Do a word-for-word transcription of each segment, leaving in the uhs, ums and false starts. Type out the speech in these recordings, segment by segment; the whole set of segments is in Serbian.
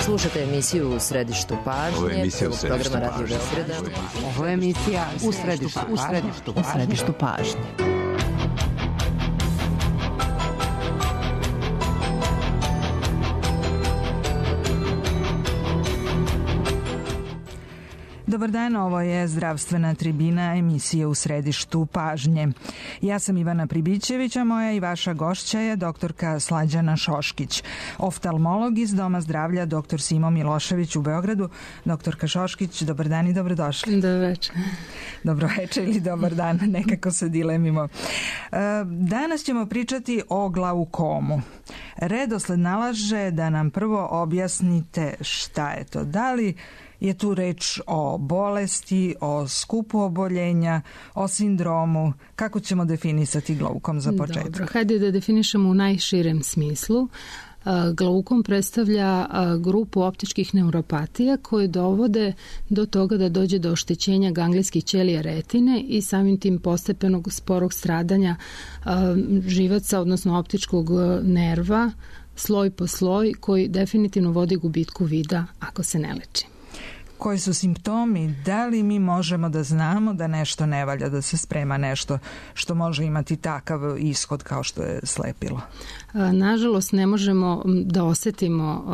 Slušate emisiju U središtu pažnje. Ovo je emisija U središtu programa Radio pažnje. Beograda. Ovo je emisija U središtu, u središtu, u središtu pažnje. Dobar dan, ovo je Zdravstvena tribina, emisija U središtu pažnje. Ja sam Ivana Pribićević, a moja i vaša gošća je doktorka Slađana Šoškić, oftalmolog iz Doma zdravlja doktor Simo Milošević u Beogradu. Doktorka Šoškić, dobar dan i dobrodošli. Dobar večer. Dobro večer ili dobar dan, nekako se dilemimo. Danas ćemo pričati o glaukomu. Redosled nalaže da nam prvo objasnite šta je to. Da li je tu reč o bolesti, o skupu oboljenja, o sindromu? Kako ćemo definisati glaukom za početak? Dobro, hajde da definišemo u najširem smislu. Glaukom predstavlja grupu optičkih neuropatija koje dovode do toga da dođe do oštećenja ganglijskih ćelija retine i samim tim postepenog sporog stradanja živaca, odnosno optičkog nerva, sloj po sloj, koji definitivno vodi gubitku vida ako se ne leči. Koji su simptomi? Da li mi možemo da znamo da nešto ne valja, da se sprema nešto što može imati takav ishod kao što je slepilo? Nažalost, ne možemo da osetimo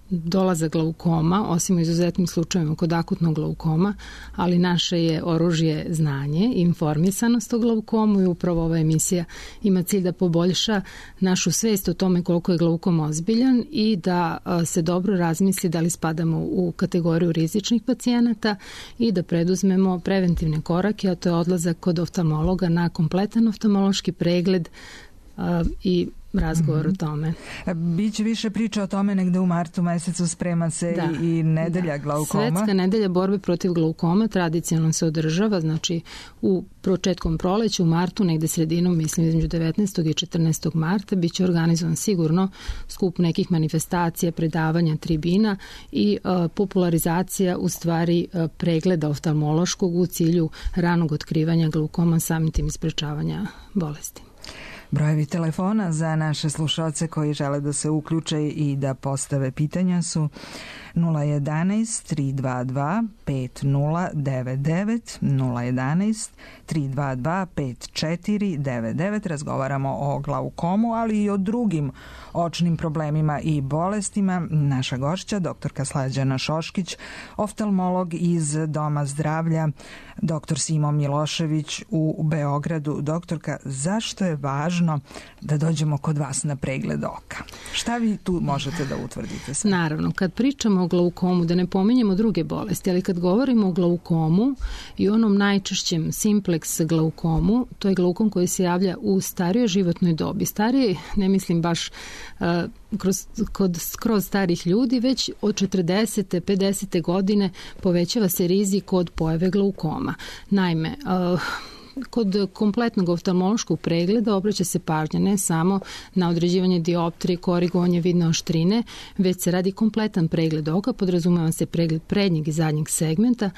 dolazak glaukoma, osim u izuzetnim slučajevima kod akutnog glaukoma, ali naše je oružje znanje i informisanost o glaukomu i upravo ova emisija ima cilj da poboljša našu svest o tome koliko je glaukom ozbiljan i da se dobro razmisli da li spadamo u kategoriju rizičnih pacijenata i da preduzmemo preventivne korake, a to je odlazak kod oftalmologa na kompletan oftalmološki pregled i razgovor mm-hmm. o tome. Biće više priča o tome negde u martu mesecu, sprema se da, i nedelja da. glaukoma. Svetska nedelja borbe protiv glaukoma tradicionalno se održava, znači u početkom proleća, u martu, negde sredinom, mislim između devetnaestog i četrnaestog marta, biće organizovan sigurno skup nekih manifestacija, predavanja, tribina i uh, popularizacija u stvari uh, pregleda oftalmološkog u cilju ranog otkrivanja glaukoma, samim tim sprečavanja bolesti. Brojevi telefona za naše slušalce koji žele da se uključe i da postave pitanja su nula jedanaest tri dva dva pet nula devet devet, nula jedanaest tri dva dva pet četiri devet devet. Razgovaramo o glaukomu, ali i o drugim očnim problemima i bolestima. Naša gošća, doktorka Slađana Šoškić, oftalmolog iz Doma zdravlja doktor Simo Milošević u Beogradu. Doktorka, zašto je važno da dođemo kod vas na pregled oka? Šta vi tu možete da utvrdite? Sve? Naravno, kad pričamo o glaukomu, da ne pominjemo druge bolesti, ali kad govorimo o glaukomu i onom najčešćem simplex glaukomu, to je glaukom koji se javlja u starijoj životnoj dobi. Starije, ne mislim baš uh, kroz, kod skroz starih ljudi, već od četrdesete, pedesete godine povećava se rizik od pojave glaukoma. Naime, uh, kod kompletnog oftalmološkog pregleda obraća se pažnja ne samo na određivanje dioptrije, korigovanje vidne oštrine, već se radi kompletan pregled oka, podrazumeva se pregled prednjeg i zadnjeg segmenta,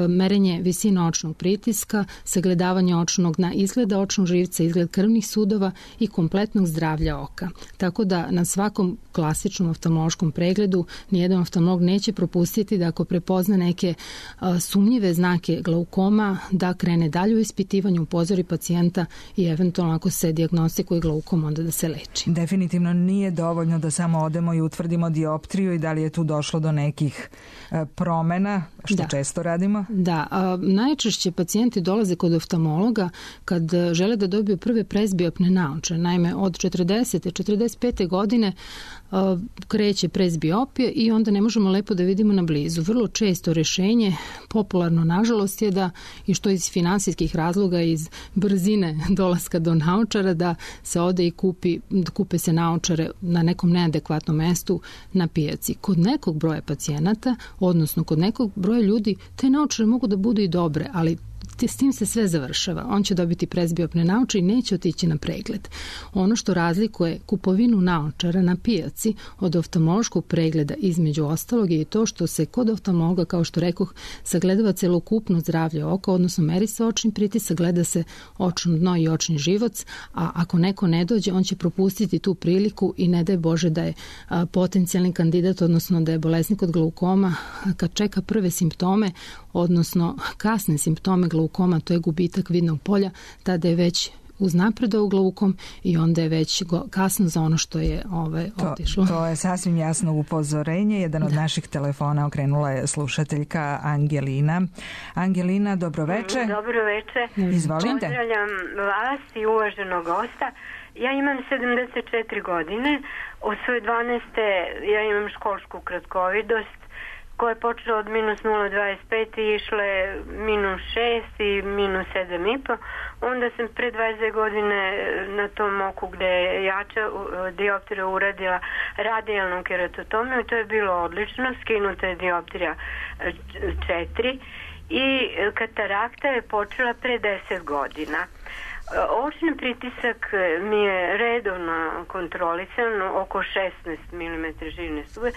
merenje visine očnog pritiska, sagledavanje očnog na izgleda očnog živca, izgled krvnih sudova i kompletnog zdravlja oka. Tako da na svakom klasičnom oftalmološkom pregledu nijedan oftalmolog neće propustiti da ako prepozna neke a, sumnjive znake glaukoma, da krene dalje u ispitivanju, upozori pacijenta i eventualno ako se dijagnostikuje glaukom, onda da se leči. Definitivno nije dovoljno da samo odemo i utvrdimo dioptriju i da li je tu došlo do nekih a, promena, što da. često radimo. Da, a, najčešće pacijenti dolaze kod oftalmologa kad žele da dobiju prve presbiopne naočare. Naime, od četrdesete, četrdeset pete godine a, kreće presbiopija i onda ne možemo lepo da vidimo na blizu. Vrlo često rešenje, popularno nažalost, je da, i što iz finansijskih razloga, iz brzine dolaska do naočara, da se ode i kupi, kupe se naočare na nekom neadekvatnom mestu na pijaci. Kod nekog broja pacijenata, odnosno kod nekog broja ljudi, te naočare mogu da budu i dobre, ali s tim se sve završava. On će dobiti presbiopne naočare i neće otići na pregled. Ono što razlikuje kupovinu naočara na pijaci od oftalmološkog pregleda između ostalog je to što se kod oftalmologa, kao što rekoh, sagledava celokupno zdravlje oka, odnosno meri se očni pritisak, gleda se očno dno i očni živac, a ako neko ne dođe, on će propustiti tu priliku i ne daj Bože da je a, potencijalni kandidat, odnosno da je bolesnik od glaukoma, kad čeka prve simptome, odnosno kasne simptome glaukoma, to je gubitak vidnog polja, tada je već uznapredao glaukom i onda je već kasno za ono što je ovaj, otišlo. To, to je sasvim jasno upozorenje. Jedan od da. naših telefona okrenula je slušateljka Angelina. Angelina, dobroveče. Dobroveče. Izvolite. Pozdravljam vas i uvaženog gosta. Ja imam sedamdeset četiri godine. Od svoje dvanaeste ja imam školsku kratkovidost koja je počela od minus nula zarez dvadeset pet i išle minus šest i minus sedam i po. Onda sam pre dvadeset godine na tom oku gde je jača dioptrija uradila radijalnu keratotomiju i to je bilo odlično. Skinuta je dioptrija četiri i katarakta je počela pre deset godina. Očni pritisak mi je redovno kontrolisan, oko šesnaest milimetara živne stube.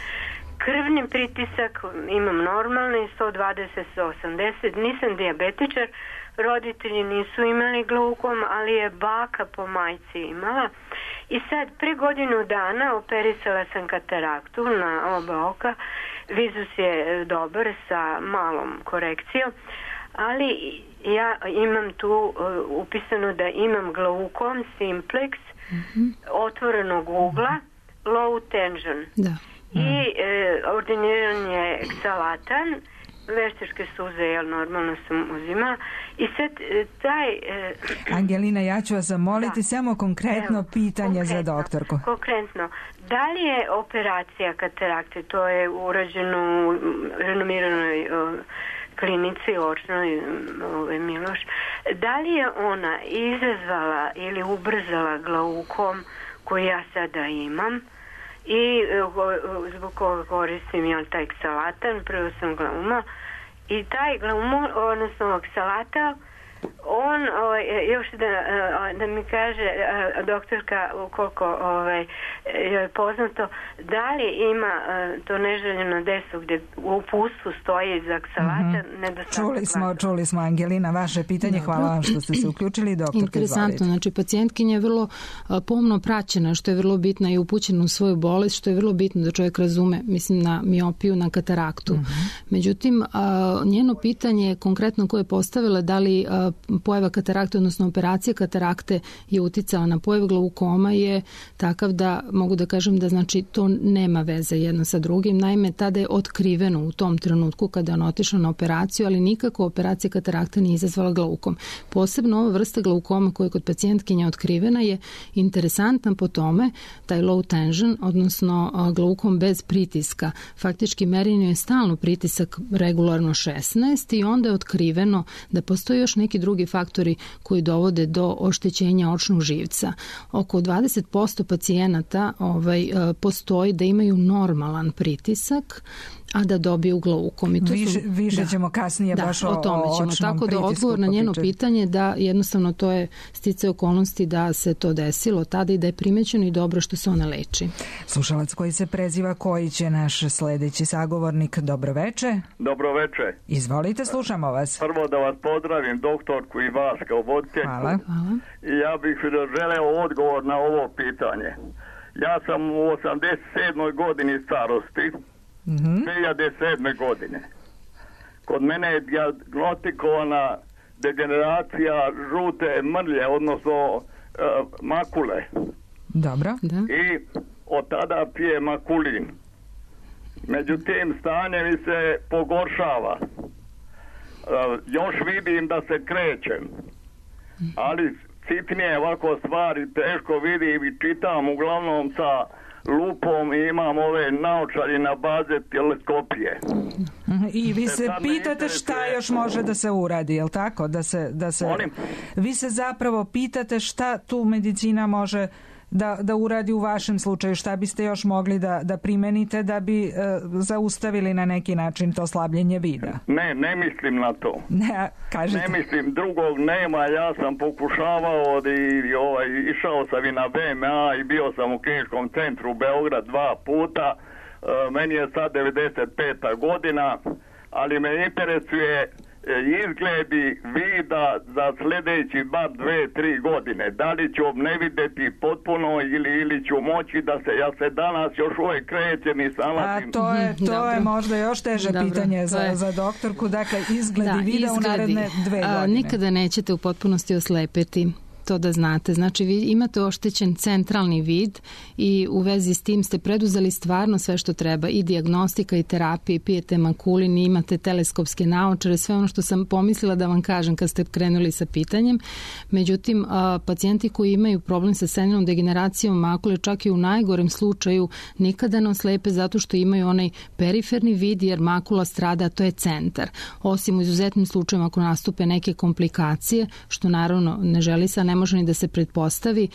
Krvni pritisak imam normalni, sto dvadeset do osamdeset, nisam dijabetičar, roditelji nisu imali glaukom, ali je baka po majci imala. I sad, pre godinu dana operisala sam kataraktu na oba oka, vizus je dobar sa malom korekcijom, ali ja imam tu uh, upisano da imam glaukom simplex, mm-hmm. otvorenog ugla, low tension. Da. I e, ordiniran je eksalatan, veštačke suze, jel normalno sam uzima. I sad e, taj... E, Angelina, ja ću vas zamoliti da. samo konkretno Evo, pitanje konkretno, za doktorku. Konkretno, da li je operacija katarakte, to je urađeno u renomiranoj o, klinici očnoj ove, Miloš, da li je ona izazvala ili ubrzala glaukom koji ja sada imam? I zbog koga koristim ja taj eksalatan, prvo sam glauma i taj glauma, odnosno eksalata, on, ovaj, još da, da mi kaže doktorka ukoliko ovaj, je poznato, da li ima to neželjeno deso gdje u upustvu stoji za eksalata, mm-hmm. nedostatak. Čuli smo, čuli smo Angelina, vaše pitanje, Dobro. hvala vam što ste se uključili, doktorka. Interesantno, znači pacijentkinja je vrlo pomno praćena, što je vrlo bitno i upućena u svoju bolest, što je vrlo bitno da čovjek razume, mislim na miopiju, na kataraktu. Mm-hmm. Međutim, njeno pitanje konkretno koje je postavila, da li pojava katarakte, odnosno operacija katarakte je uticala na pojavu glaukoma je takav da mogu da kažem da znači to nema veze jedno sa drugim. Naime, tada je otkriveno u tom trenutku kada je on otišao na operaciju, ali nikako operacija katarakte nije izazvala glaukom. Posebno ova vrsta glaukoma koja je kod pacijentkinja otkrivena je interesantna po tome, taj low tension, odnosno glaukom bez pritiska. Faktički merenje je stalno pritisak regularno šesnaest i onda je otkriveno da postoji još neki drugi faktori koji dovode do oštećenja očnog živca. Oko dvadeset posto pacijenata ovaj, postoji da imaju normalan pritisak, a da dobiju glaukom. I to više su, više da, ćemo kasnije da, baš o, o tome ćemo. o Tako da odgovor na njeno pitanje da jednostavno to je sticaje okolnosti da se to desilo tada i da je primećeno i dobro što se ona leči. Slušalac koji se preziva koji će naš sledeći sagovornik. Dobroveče. Dobroveče. Izvolite, slušamo vas. Prvo da vas pozdravim, doktorku i vas kao voditeljku. Hvala. Hvala. I ja bih želeo odgovor na ovo pitanje. Ja sam u osamdeset sedmoj godini starosti, Mm-hmm. dvije hiljade sedme godine. Kod mene je dijagnostikovana degeneracija žute mrlje, odnosno uh, makule. Dobro. Da. I od tada pije makulin. Međutim, stanje mi se pogoršava. Uh, još vidim da se krećem. Ali sitnije ovako stvari teško vidim i čitam uglavnom sa lupom i imam ove naočari na baze teleskopije. I vi se pitate šta još može da se uradi, je li tako? Da se, da se... Vi se zapravo pitate šta tu medicina može da, da uradi u vašem slučaju? Šta biste još mogli da, da primenite da bi e, zaustavili na neki način to slabljenje vida? Ne, ne mislim na to. Ne, kažete. Ne mislim, drugog nema. Ja sam pokušavao i ovaj, išao sam i na B M A i bio sam u kliničkom centru Beograd dva puta. E, meni je sad devedeset peta godina, ali me interesuje izgledi vida za sljedeći bar dve, tri godine. Da li ću ne vidjeti potpuno ili, ili ću moći da se, ja se danas još uvijek krećem i salazim. A to je, to je možda još teže Dobro, pitanje za, je... za doktorku. Dakle, izgledi da, vida izgledi. U naredne dve godine. A, nikada nećete u potpunosti oslepeti. To da znate. Znači, vi imate oštećen centralni vid i u vezi s tim ste preduzeli stvarno sve što treba. I dijagnostika i terapija, pijete makulin, imate teleskopske naočare, sve ono što sam pomislila da vam kažem kad ste krenuli sa pitanjem. Međutim, pacijenti koji imaju problem sa senilnom degeneracijom makule, čak i u najgorem slučaju, nikada ne oslepe zato što imaju onaj periferni vid, jer makula strada, to je centar. Osim u izuzetnim slučajima ako nastupe neke komplikacije, što naravno ne želi se, ne može ni da se pretpostavi,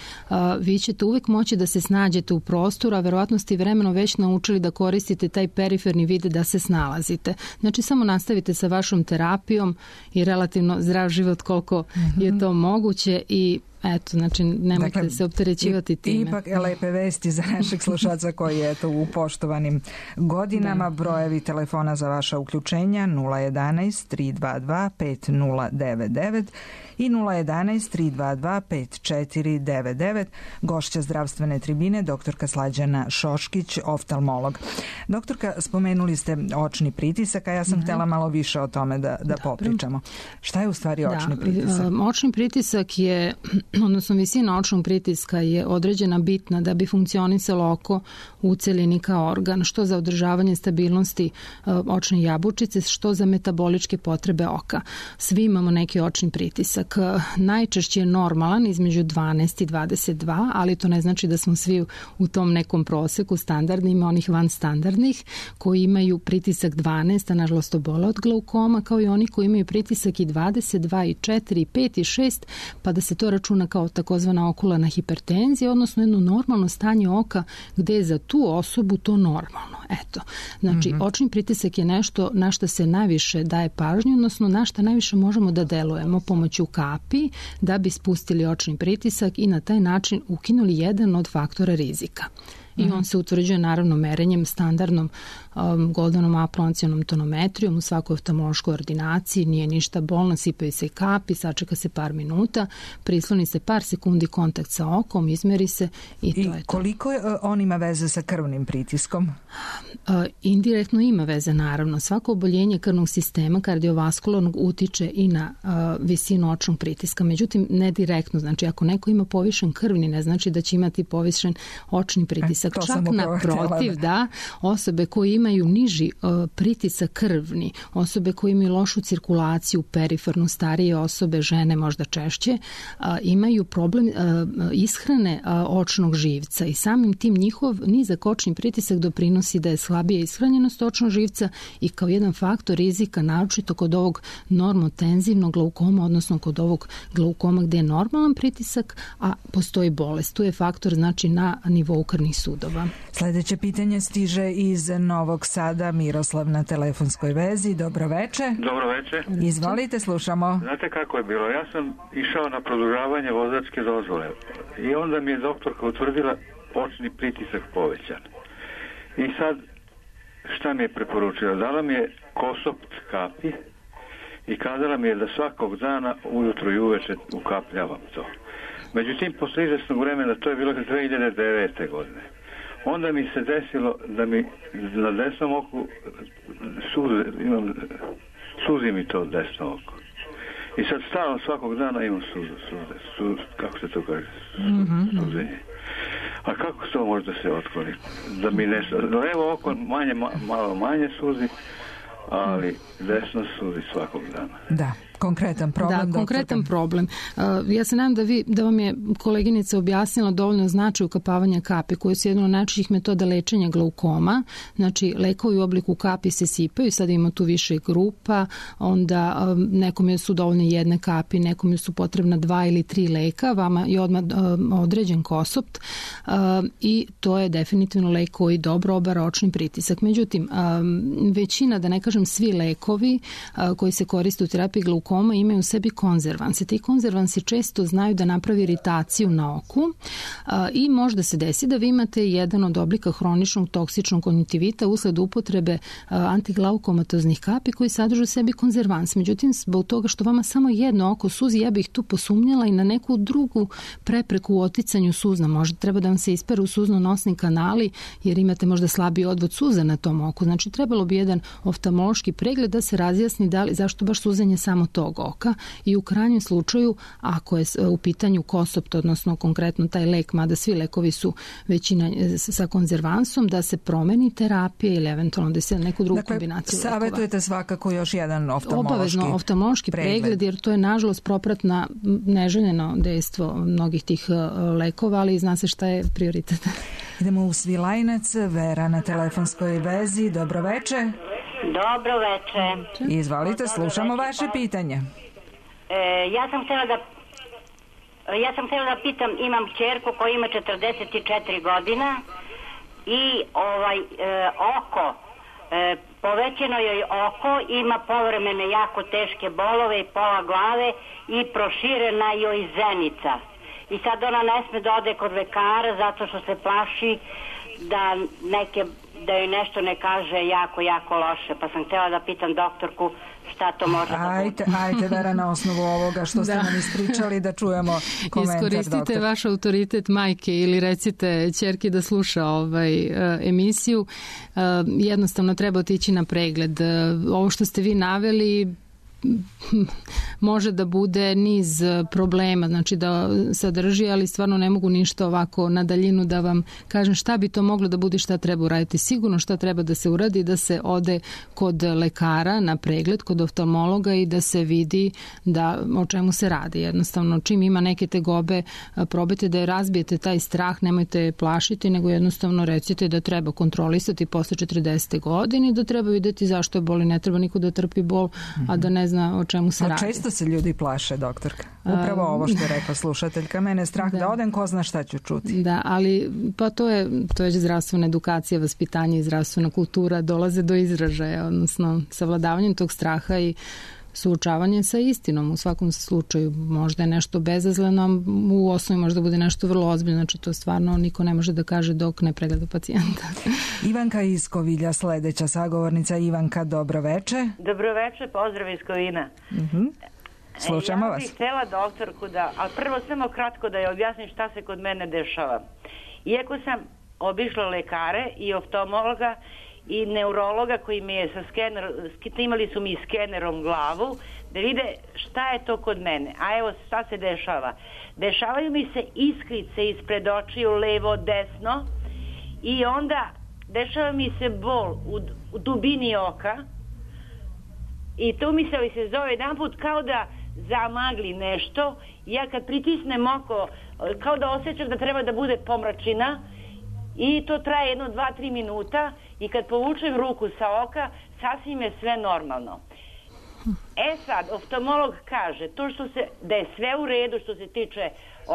vi ćete uvijek moći da se snađete u prostoru, a verovatno ste vremeno već naučili da koristite taj periferni vid da se snalazite. Znači, samo nastavite sa vašom terapijom i relativno zdrav život koliko mm-hmm. je to moguće i eto, znači, nemojte dakle, se opterećivati time. Ipak lepe vesti za našeg slušaca koji je eto u poštovanim godinama. Da. Brojevi telefona za vaša uključenja nula jedanaest tri dva dva pet nula devet devet i nula jedanaest tri dva dva pet četiri devet devet. Gošća zdravstvene tribine, doktorka Slađana Šoškić, oftalmolog. Doktorka, spomenuli ste očni pritisak, a ja sam mm-hmm. htjela malo više o tome da, da popričamo. Šta je u stvari očni da, pritisak? Očni pritisak je, odnosno visina očnog pritiska je određena bitna da bi funkcionisalo oko u celini kao organ, što za održavanje stabilnosti očne jabučice, što za metaboličke potrebe oka. Svi imamo neki očni pritisak. Najčešće je normalan između dvanaest i dvadeset dva, ali to ne znači da smo svi u tom nekom proseku standardni, ima onih van standardnih koji imaju pritisak dvanaest, a nažalost obole od glaukoma, kao i oni koji imaju pritisak i dvadeset dva i četiri i pet i šest, pa da se to računa kao takozvana okularna hipertenzija, odnosno jedno normalno stanje oka gde je za tu osobu to normalno. Eto, znači mm-hmm. očni pritisak je nešto na što se najviše daje pažnju, odnosno na što najviše možemo da delujemo pomoću kapi da bi spustili očni pritisak i na taj način ukinuli jedan od faktora rizika. I on se utvrđuje naravno merenjem standardnom um, Goldanom aplancionom tonometrijom u svakoj oftalmološkoj ordinaciji, nije ništa bolno, sipaju se kapi, sačeka se par minuta, prisloni se par sekundi kontakt sa okom, izmeri se i, I to je to. Koliko je, on ima veze sa krvnim pritiskom? Uh, indirektno ima veze naravno. Svako oboljenje krvnog sistema kardiovaskularnog utiče i na uh, visinu očnog pritiska, međutim ne direktno. Znači ako neko ima povišen krvni, ne znači da će imati povišen očni pritisak. To čak naprotiv, da, osobe koje imaju niži uh, pritisak krvni, osobe koje imaju lošu cirkulaciju, perifernu, starije osobe, žene možda češće, uh, imaju problem uh, ishrane uh, očnog živca i samim tim njihov nizak očni pritisak doprinosi da je slabija ishranjenost očnog živca i kao jedan faktor rizika, naročito kod ovog normotenzivnog glaukoma, odnosno kod ovog glaukoma gde je normalan pritisak, a postoji bolest. Tu je faktor znači na nivou krvnih sudova. Sljedeće pitanje stiže iz Novog Sada. Miroslav na telefonskoj vezi. Dobro veče. Dobro veče. Izvolite, slušamo. Znate kako je bilo? Ja sam išao na produžavanje vozačke dozvole i onda mi je doktorka utvrdila očni pritisak povećan. I sad šta mi je preporučila? Dala mi je Kosopt kapi i kazala mi je da svakog dana ujutro i uveče ukapljavam to. Međutim, posle izvesnog vremena, to je bilo dve hiljade devete. godine. Onda mi se desilo da mi na desnom oku suze, imam, suzi mi to desno oko. I sad stalno svakog dana imam suze, suze, suze, kako se to kaže, mm-hmm. suzenje. A kako to može da se otkloni? Da mi nešto, levo oko manje, malo manje suzi, ali desno suzi svakog dana. Da. Konkretan problem. Da, doktorka. konkretan problem. Uh, ja se nadam da, vi, da vam je koleginica objasnila dovoljno značaj ukapavanja kapi, koje su jedna od najčešćih metoda lečenja glaukoma. Znači, lekovi u obliku kapi se sipaju, sad ima tu više grupa, onda um, nekome su dovoljne jedne kapi, nekome su potrebna dva ili tri leka, vama je odmah um, određen kosopt uh, i to je definitivno lek koji dobro obara očni pritisak. Međutim, um, većina, da ne kažem svi lekovi uh, koji se koriste u terapiji glaukoma imaju u sebi konzervanse. Ti konzervansi često znaju da napravi iritaciju na oku a, i možda se desi da vi imate jedan od oblika hroničnog toksičnog konjuntivita usled upotrebe a, antiglaukomatoznih kapi koji sadrže u sebi konzervans. Međutim, zbog toga što vama samo jedno oko suzi, ja bih tu posumnjala i na neku drugu prepreku u oticanju suzna. Možda treba da vam se isperu suzno-nosni kanali jer imate možda slabiji odvod suza na tom oku. Znači, trebalo bi jedan oftalmološki pregled da se razjasni da li, zašto baš suzanje samo tog oka i u krajnjem slučaju, ako je u pitanju kosopt, odnosno konkretno taj lek, mada svi lekovi su većina sa konzervansom, da se promeni terapija ili eventualno da se neku drugu dakle, kombinaciju lekova. Savjetujete svakako još jedan oftalmološki Obavezno oftalmološki pregled. pregled, jer to je nažalost propratna neželjeno dejstvo mnogih tih lekova, ali zna se šta je prioritet. Idemo u Svilajnac, Vera na telefonskoj vezi. Dobro veče. Dobro veče. Izvolite, slušamo vaše pitanje. E, ja sam htjela da ja sam htjela da pitam, imam kćerku koja ima četrdeset četiri godina i ovaj e, oko e, povećano joj oko, ima povremene jako teške bolove i pola glave i proširena joj zenica. I sad ona ne sme da ode kod lekara zato što se plaši da neke da joj nešto ne kaže jako, jako loše. Pa sam htjela da pitam doktorku šta to može da bude. Ajde, ajde Vera, na osnovu ovoga što ste da. nam ispričali da čujemo komentar Iskoristite doktor. vaš autoritet majke ili recite ćerki da sluša ovaj, uh, emisiju. Uh, jednostavno treba otići na pregled. Uh, ovo što ste vi naveli može da bude niz problema, znači da sadrži, ali stvarno ne mogu ništa ovako na daljinu da vam kažem šta bi to moglo da bude, šta treba uraditi. Sigurno šta treba da se uradi, da se ode kod lekara na pregled, kod oftalmologa i da se vidi da o čemu se radi. Jednostavno, čim ima neke tegobe, probajte da je razbijete taj strah, nemojte plašiti, nego jednostavno recite da treba kontrolisati posle četrdesete godine, da treba videti zašto je bol i ne treba niko da trpi bol, a da ne zna o čemu se a radi. Često se ljudi plaše, doktorka. Upravo ovo što je rekla slušateljka. Mene je strah da, da odem, ko zna šta ću čuti. Da, ali pa to je, to je zdravstvena edukacija, vaspitanje i zdravstvena kultura dolaze do izražaja, odnosno savladavanjem tog straha i suočavanje sa istinom. U svakom slučaju možda je nešto bezazleno, u osnovi možda bude nešto vrlo ozbiljno, znači to stvarno niko ne može da kaže dok ne pregleda pacijenta. Ivanka iz Kovilja, sledeća sagovornica. Ivanka, dobro veče. Dobro veče, pozdrav iz Kovina. Uh-huh. Slušamo vas. Ja bih htjela doktorku da, ali prvo samo kratko da je objasnim šta se kod mene dešava. Iako sam obišla lekare i oftalmologa i neurologa koji mi je sa skener, imali su mi skenerom glavu da vide šta je to kod mene. A evo šta se dešava. Dešavaju mi se iskrice ispred očiju, levo, desno i onda dešava mi se bol u, u dubini oka i to mi se, se zove jedan put kao da zamagli nešto. Ja kad pritisnem oko kao da osjećam da treba da bude pomračina i to traje jedno, dva, tri minuta i kad povučem ruku sa oka sasvim je sve normalno. E sad, oftalmolog kaže to što se, da je sve u redu što se tiče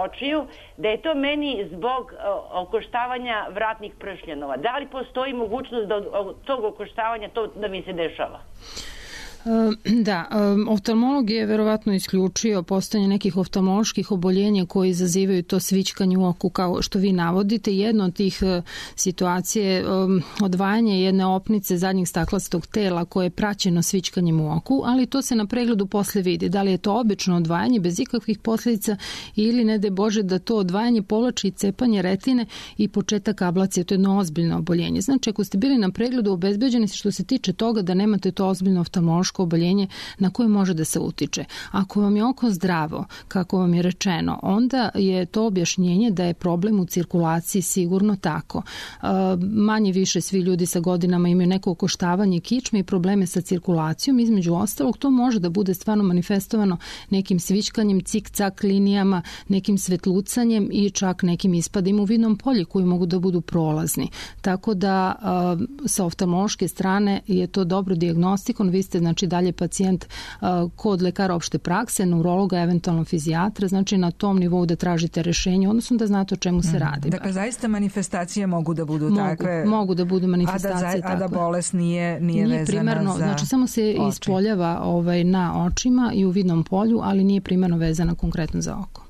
očiju, da je to meni zbog o, okoštavanja vratnih pršljanova. Da li postoji mogućnost da od tog okoštavanja to da mi se dešava? Da, oftalmolog je verovatno isključio postojanje nekih oftalmoloških oboljenja koji izazivaju to svićkanje u oku kao što vi navodite. Jedno od tih situacija je odvajanje jedne opnice zadnjeg staklastog tela koje je praćeno svićkanjem u oku, ali to se na pregledu posle vidi. Da li je to obično odvajanje bez ikakvih posljedica ili ne daj Bože da to odvajanje povlači i cepanje retine i početak ablacije. To je jedno ozbiljno oboljenje. Znači, ako ste bili na pregledu, obezbeđeni ste što se tiče toga da nemate to ozbiljno oftalmološko teško oboljenje na koje može da se utiče. Ako vam je oko zdravo, kako vam je rečeno, onda je to objašnjenje da je problem u cirkulaciji sigurno tako. Manje više svi ljudi sa godinama imaju neko okoštavanje kičme i probleme sa cirkulacijom. Između ostalog, to može da bude stvarno manifestovano nekim svičkanjem, cik-cak linijama, nekim svetlucanjem i čak nekim ispadima u vidnom polju koji mogu da budu prolazni. Tako da sa oftalmološke strane je to dobro dijagnostikon. Vi ste znači dalje pacijent kod lekara opšte prakse, neurologa, eventualno fizijatra, znači na tom nivou da tražite rešenje, odnosno da znate o čemu se radi. Dakle, zaista manifestacije mogu da budu mogu, takve. Mogu da budu manifestacije a da, takve. A da bolest nije, nije, nije vezana primarno, za znači samo se oči. Ispoljava ovaj, na očima i u vidnom polju, ali nije primarno vezana konkretno za oko.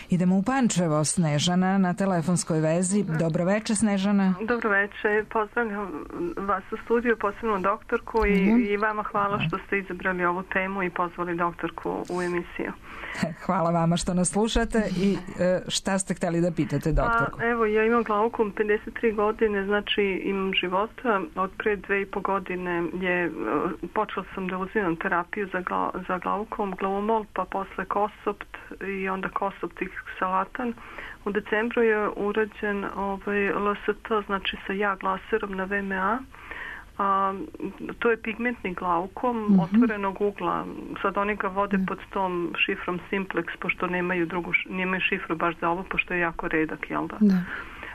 Idemo u Pančevo, Snežana na telefonskoj vezi. Dobro večer, Snežana. Dobro večer, pozdravljam vas u studiju, posebno doktorku i, mm. i vama hvala što ste izabrali ovu temu i pozvali doktorku u emisiju. Hvala vama što nas slušate i šta ste htjeli da pitate doktorku? Pa, evo, ja imam glaukom pedeset tri godine, znači imam života. Od pre dve i po godine je, počela sam da uzimam terapiju za, gla, za glaukom, glavomol, pa posle kosopt i onda kosopt i salatan. U decembru je urađen ovaj, L S T, znači sa ja laserom na V M A. A, to je pigmentni glaukom mm-hmm. otvorenog ugla. Sad oni ga vode pod tom šifrom Simplex, pošto nemaju drugu, nemaju šifru baš za ovo, pošto je jako redak, jel da? Da.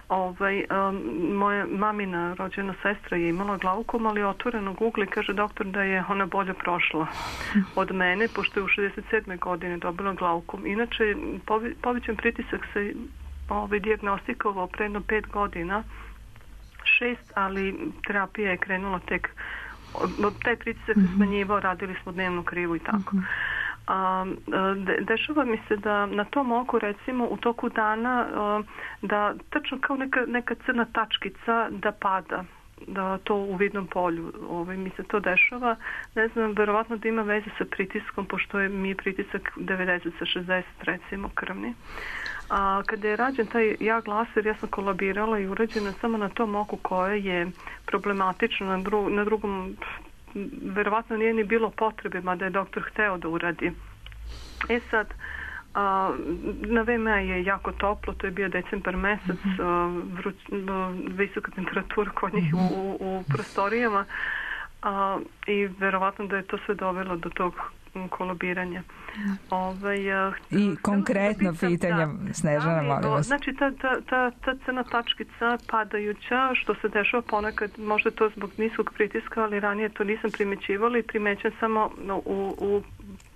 Ovaj, um, moja mamina rođena sestra je imala glaukom, ali otvorenog ugla i kaže doktor da je ona bolje prošla od mene, pošto je u šezdeset sedme godine dobila glaukom. Inače, povećan pritisak se ovaj, dijagnostikovao pre jedno pet godina, šest, ali terapija je krenula tek, taj pritisak se smanjivao, radili smo dnevnu krivu i tako. A, de, dešava mi se da na tom oku, recimo, u toku dana a, da tačno kao neka, neka crna tačkica da pada, da to u vidnom polju. Ovaj, mi se to dešava. Ne znam, verovatno da ima veze sa pritiskom, pošto je mi je pritisak devedeset sa šezdeset, recimo, krvni. A kada je rađen taj jag laser, ja sam kolabirala i urađena samo na tom oku koje je problematično, na, dru, na drugom verovatno nije ni bilo potrebe, mada je doktor hteo da uradi. E sad, a, na V M A je jako toplo, to je bio decembar mesec, a, vruć, a, visoka temperatura kod njih u, u, u prostorijama a, i verovatno da je to sve dovelo do tog kolabiranja. Ovaj, I konkretno da pitanje, da, Snežana, molim vas. Znači, ta, ta, ta, ta crna tačkica padajuća, što se dešava ponekad, možda to zbog niskog pritiska, ali ranije to nisam primećivala i primećam samo u, u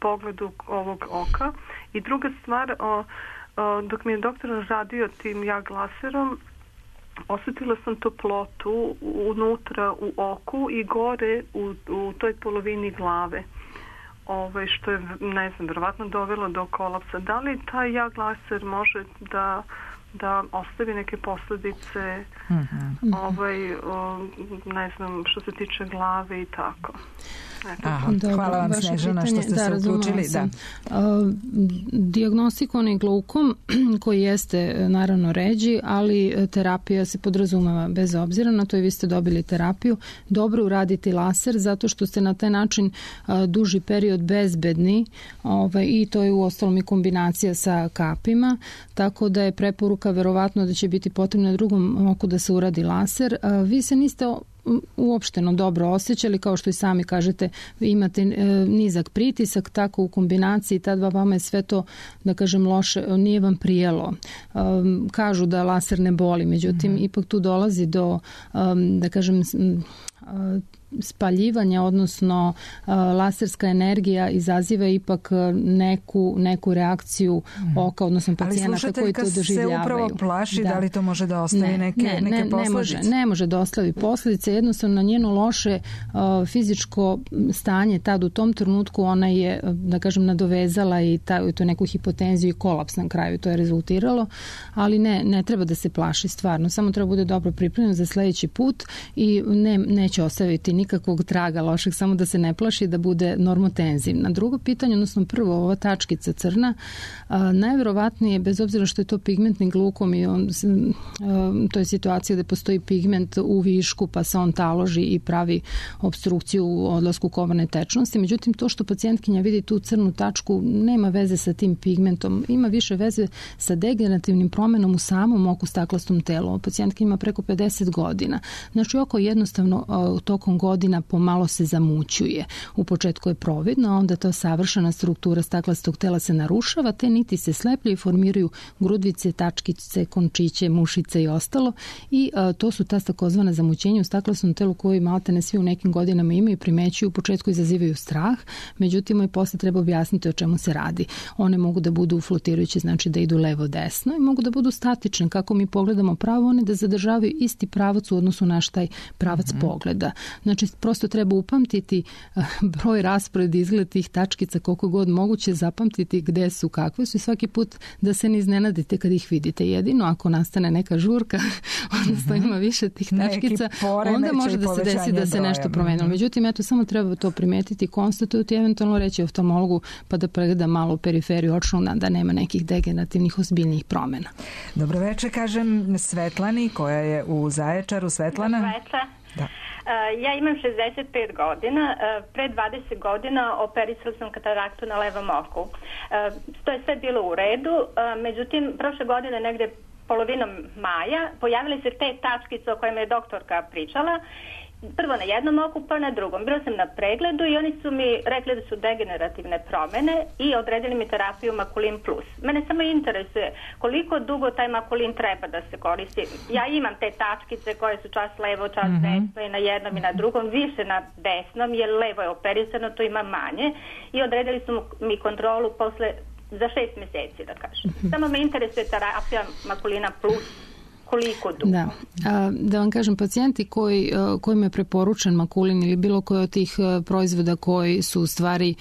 pogledu ovog oka. I druga stvar, o, o, dok mi je doktor radio tim jag laserom, osjetila sam toplotu unutra u oku i gore u, u toj polovini glave. Ove, što je, ne znam, verovatno dovelo do kolapsa. Da li taj jag laser može da, da ostavi neke posljedice, mm-hmm. ovaj, o, ne znam, što se tiče glave i tako? Aha, dobro, hvala vam, Snežana, pitanje, što ste da, se uključili. Da. Uh, dijagnostikon glaukom koji jeste naravno ređi, ali terapija se podrazumeva bez obzira na to i vi ste dobili terapiju. Dobro uraditi laser zato što ste na taj način uh, duži period bezbedni ovaj, i to je u ostalom i kombinacija sa kapima, tako da je preporuka verovatno da će biti potrebno na drugom oku da se uradi laser. Uh, vi se niste uopšteno dobro osjećali, kao što i sami kažete, imate e, nizak pritisak, tako u kombinaciji ta dva vama je sve to, da kažem, loše, nije vam prijelo. E, kažu da laser ne boli, međutim, mm-hmm. ipak tu dolazi do, e, da kažem, e, spaljivanja, odnosno uh, laserska energija izaziva ipak neku, neku reakciju mm. oka, odnosno pacijenata koji to doživljavaju. Ali slušateljka se upravo plaši, da, da li to može da ostavi ne, neke, ne, neke ne, posljedice? Ne može, ne može da ostavi posljedice, jednostavno na njeno loše uh, fizičko stanje tad u tom trenutku ona je, da kažem, nadovezala i ta, to neku hipotenziju i kolaps na kraju, to je rezultiralo, ali ne, ne treba da se plaši stvarno, samo treba bude dobro pripremljen za sljedeći put i ne, neće ostaviti nikakvog traga lošeg, samo da se ne plaši da bude normotenzivna. Drugo pitanje, odnosno prvo, ova tačkica crna, a, najverovatnije, bez obzira što je to pigmentni glukom i on, a, to je situacija gde postoji pigment u višku pa se on taloži i pravi obstrukciju u odlasku komarne tečnosti. Međutim, to što pacijentkinja vidi tu crnu tačku nema veze sa tim pigmentom, ima više veze sa degenerativnim promenom u samom oku staklastom telu. Pacijentkinja ima preko pedeset godina. Znači, oko jednostavno a, tokom godina pomalo se zamućuje. U početku je providno, a onda ta savršena struktura staklastog tela se narušava, te niti se slepljaju i formiraju grudvice, tačkice, končiće, mušice i ostalo. I a, to su ta takozvana zamućenja u staklastom telu koji maltene svi u nekim godinama imaju i primećuju, u početku izazivaju strah, međutim i posle treba objasniti o čemu se radi. One mogu da budu flotirajuće, znači da idu levo-desno, i mogu da budu statične, kako mi pogledamo pravo, one da zadržavaju isti pravac u odnosu naš taj pravac mm-hmm. pogleda. Znači, prosto treba upamtiti uh, broj, raspored, izgled tih tačkica, koliko god moguće, zapamtiti gde su, kakve su, i svaki put da se ne iznenadite kad ih vidite. Jedino ako nastane neka žurka, odnosno ima više tih tačkica, onda može da se desi da se nešto promenilo. Međutim, eto, samo treba to primetiti, konstatujuti, eventualno reći oftalmologu pa da pregleda malo periferiju očnog, da nema nekih degenerativnih ozbiljnijih promena. Dobro večer, kažem Svetlani koja je u Zaječaru. Svetlana? Dobro večer. Da. Uh, ja imam šezdeset pet godina, uh, pre dvadeset godina operisala sam kataraktu na levom oku. Uh, to je sve bilo u redu, uh, međutim, prošle godine negde polovinom maja pojavile se te tačkice o kojima je doktorka pričala. Prvo na jednom oku, pa na drugom. Bila sam na pregledu i oni su mi rekli da su degenerativne promene i odredili mi terapiju Makulin plus. Mene samo interesuje koliko dugo taj Makulin treba da se koristi. Ja imam te tačkice koje su čas levo, čas mm-hmm. desno, i na jednom i na drugom, više na desnom, jer levo je operisano, to ima manje, i odredili su mi kontrolu posle za šest meseci, da kažem. Mm-hmm. Samo me interesuje terapija Makulina plus. Koliko dugo? Da. A, da vam kažem, pacijenti koji, kojima je preporučen Makulin ili bilo koji od tih proizvoda koji su u stvari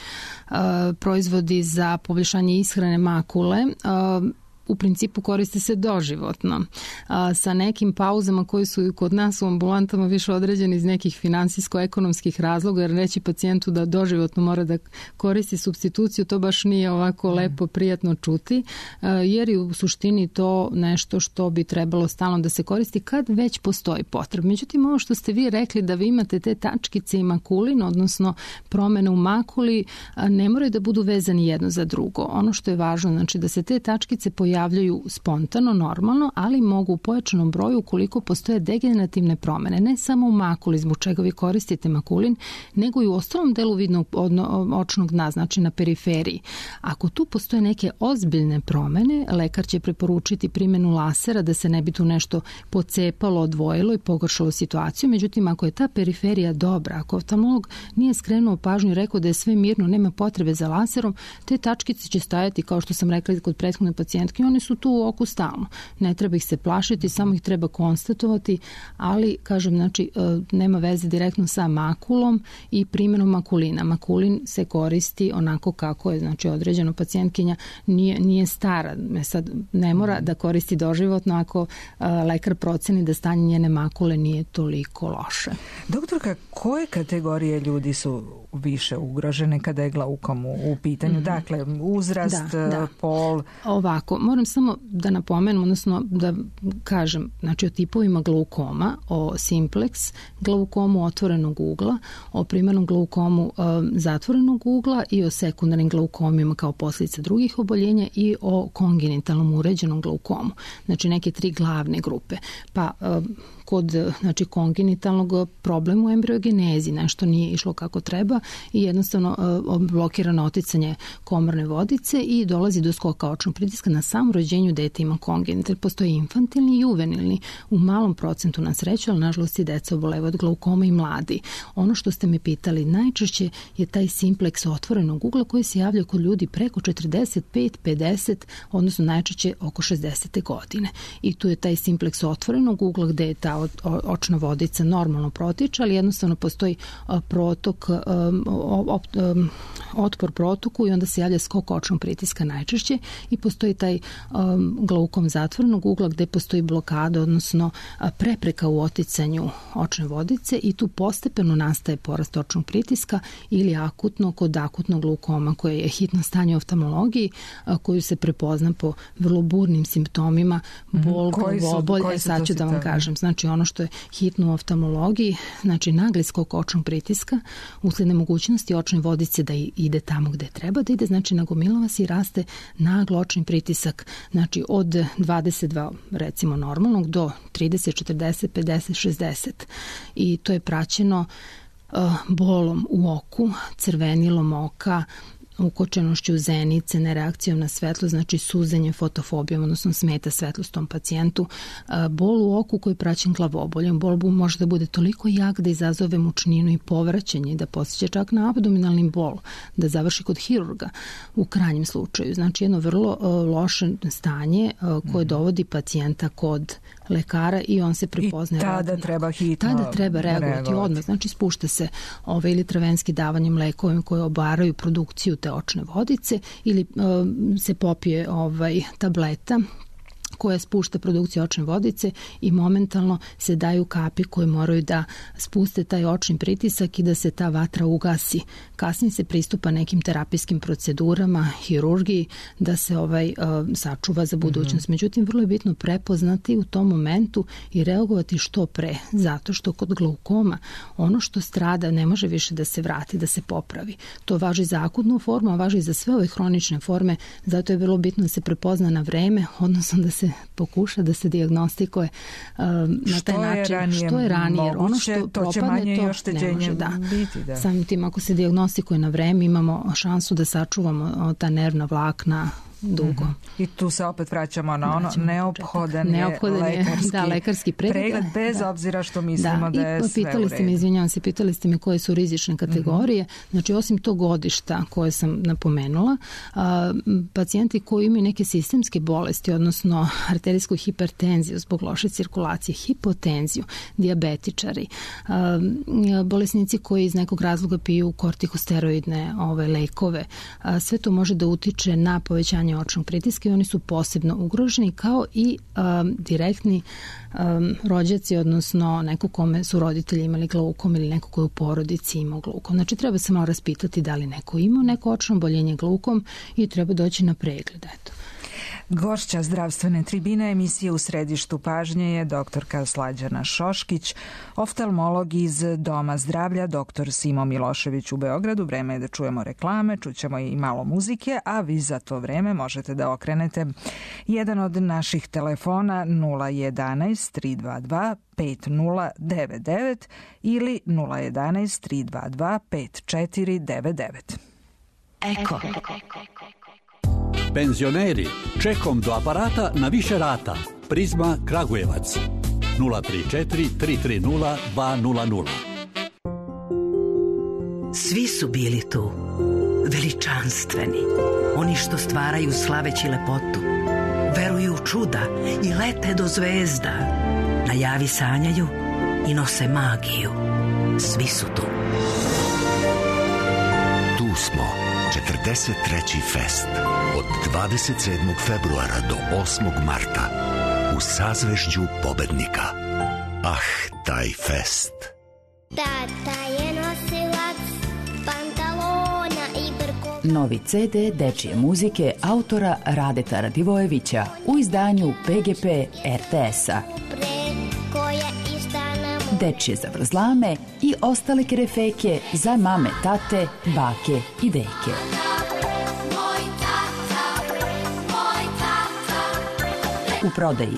a, proizvodi za poboljšanje ishrane makule, a, u principu koriste se doživotno, a, sa nekim pauzama koji su kod nas u ambulantama više određeni iz nekih finansijsko-ekonomskih razloga, jer reći pacijentu da doživotno mora da koristi supstituciju, to baš nije ovako lepo, prijatno čuti, a, jer je u suštini to nešto što bi trebalo stalno da se koristi kad već postoji potreba. Međutim, ovo što ste vi rekli da vi imate te tačkice i makulin, odnosno promene u makuli, a, ne moraju da budu vezani jedno za drugo. Ono što je važno, znači da se te tačkice pojavljaju javljaju spontano, normalno, ali mogu u pojačanom broju ukoliko postoje degenerativne promene, ne samo u makuli, zbog čega vi koristite Makulin, nego i u ostalom delu vidnog očnog dna, znači na periferiji. Ako tu postoje neke ozbiljne promene, lekar će preporučiti primjenu lasera da se ne bi tu nešto pocepalo, odvojilo i pogoršalo situaciju. Međutim, ako je ta periferija dobra, ako oftalmolog nije skrenuo pažnju i rekao da je sve mirno, nema potrebe za laserom, te tačkice će stajati, kao što sam rekla kod prethodne pacijentke, oni su tu u oku stalno. Ne treba ih se plašiti, samo ih treba konstatovati, ali, kažem, znači, nema veze direktno sa makulom i primjenom Makulina. Makulin se koristi onako kako je, znači, određeno, pacijentkinja nije, nije stara. Sad ne mora da koristi doživotno ako a, lekar proceni da stanje njene makule nije toliko loše. Doktorka, koje kategorije ljudi su više ugrožene kada je glaukom u, u pitanju? Mm-hmm. Dakle, uzrast, da, da. pol... Ovako, moram samo da napomenem, odnosno da kažem, znači o tipovima glaukoma, o simplex glaukomu otvorenog ugla, o primarnom glaukomu e, zatvorenog ugla i o sekundarnim glaukomima kao posljedica drugih oboljenja i o kongenitalnom uređenom glaukomu. Znači neke tri glavne grupe. Pa e, kod, znači, kongenitalnog problema u embriogenezi nešto nije išlo kako treba i jednostavno e, blokirano oticanje komorne vodice i dolazi do skoka očnog pritiska. Na samom rođenju dete ima kongenital. Postoji infantilni i juvenilni u malom procentu, na sreću, ali nažalost i deca obolevaju od glaukoma i mladi. Ono što ste me pitali, najčešće je taj simplex otvorenog ugla koji se javlja kod ljudi preko četrdeset pet pedeset, odnosno najčešće oko šezdesete godine. I tu je taj simplex otvorenog ugla gde je ta očna vodica normalno protiče, ali jednostavno postoji protok, otpor protoku i onda se javlja skok očnog pritiska najčešće i postoji taj um, glaukom zatvorenog ugla gde postoji blokada, odnosno prepreka u oticanju očne vodice i tu postepeno nastaje porast očnog pritiska ili akutno kod akutnog glaukoma koje je hitno stanje u oftalmologiji koju se prepozna po vrlo burnim simptomima, bol, glavobolj, e sad ću da vam kažem. Znači ono što je hitno u oftalmologiji, znači nagli skok očnog pritiska usled nemogućnosti očne vodice da ide tamo gde treba da ide, znači nagomilava se i raste naglo očni pritisak, znači od dvadeset dva recimo normalnog do trideset, četrdeset, pedeset, šezdeset i to je praćeno uh, bolom u oku, crvenilom oka, ukočenošću zenice, nereakcijom na svetlo, znači suzenje, fotofobijom, odnosno smeta svetlost tom pacijentu, bol u oku koji je praćen glavoboljem. Bol može da bude toliko jak da izazove mučninu i povraćanje, da posjeća čak na abdominalni bol, da završi kod hirurga u krajnjem slučaju. Znači jedno vrlo loše stanje koje dovodi pacijenta kod lekara i on se prepoznaje. I tada radno. treba hitno Tada treba reagovati, reagovati. odmah. Znači spušta se ove ili travenski davanjem lekovima koje obaraju produkciju te očne vodice ili uh, se popije ovaj, tableta koja spušta produkciju očne vodice i momentalno se daju kapi koje moraju da spuste taj očni pritisak i da se ta vatra ugasi. Kasnije se pristupa nekim terapijskim procedurama, hirurgiji, da se ovaj uh, sačuva za budućnost. Mm-hmm. Međutim, vrlo je bitno prepoznati u tom momentu i reagovati što pre, zato što kod glaukoma ono što strada ne može više da se vrati, da se popravi. To važi za akutnu formu, a važi za sve ove hronične forme, zato je vrlo bitno da se prepozna na vreme, odnosno da se pokuša da se dijagnostikuje uh, na taj način ranije što je ranije, jer ono što to propadne to ne može da. Biti, da. Samim tim ako se dijagnostikuje na vreme imamo šansu da sačuvamo ta nervna vlakna dugo. Mm-hmm. I tu se opet vraćamo na ono neophodan, neophodan je lekarski, da, lekarski pregled, pregled bez da. obzira što mislimo da, da je sve u redu. Pitali ste me, izvinjavam se, pitali ste me koje su rizične kategorije. Mm-hmm. Znači, osim tog godišta koje sam napomenula, a, pacijenti koji imaju neke sistemske bolesti, odnosno arterijsku hipertenziju zbog loše cirkulacije, hipotenziju, dijabetičari, a, bolesnici koji iz nekog razloga piju kortikosteroidne ove, lekove, a, sve to može da utiče na povećanje očnog pritiska i oni su posebno ugroženi kao i um, direktni um, rođaci, odnosno neko kome su roditelji imali glaukom ili neko ko je u porodici imao glaukom. Znači treba se malo raspitati da li neko ima neko očno oboljenje glaukom i treba doći na pregled. Eto. Gošća zdravstvene tribine emisije U središtu pažnje je doktorka Slađana Šoškić, oftalmolog iz Doma zdravlja doktor Simo Milošević u Beogradu. Vreme je da čujemo reklame, čućemo i malo muzike, a vi za to vreme možete da okrenete jedan od naših telefona nula jedanaest tri dva dva pet nula devet devet ili nula jedanaest tri dva dva pet četiri devet devet. Eko. Penzioneri, čekom do aparata na više rata. Prizma Kragujevac. nula tri četiri tri tri nula dva nula nula. Svi su bili tu, veličanstveni, oni što stvaraju slaveći lepotu, veruju u čuda i lete do zvezda, najavi sanjaju i nose magiju. Svi su tu. Tu smo, četrdeset treći fest. Od dvadeset sedmog februara do osmog marta u sazvežđu pobednika. Ah, taj fest. Tata je nosilac pantalona i brkova. Novi ce de dečije muzike autora Radeta Radivojevića u izdanju pe ge pe er te esa. Dečije zavrzlame i ostale kerefeke za mame, tate, bake i deke. U prodaji.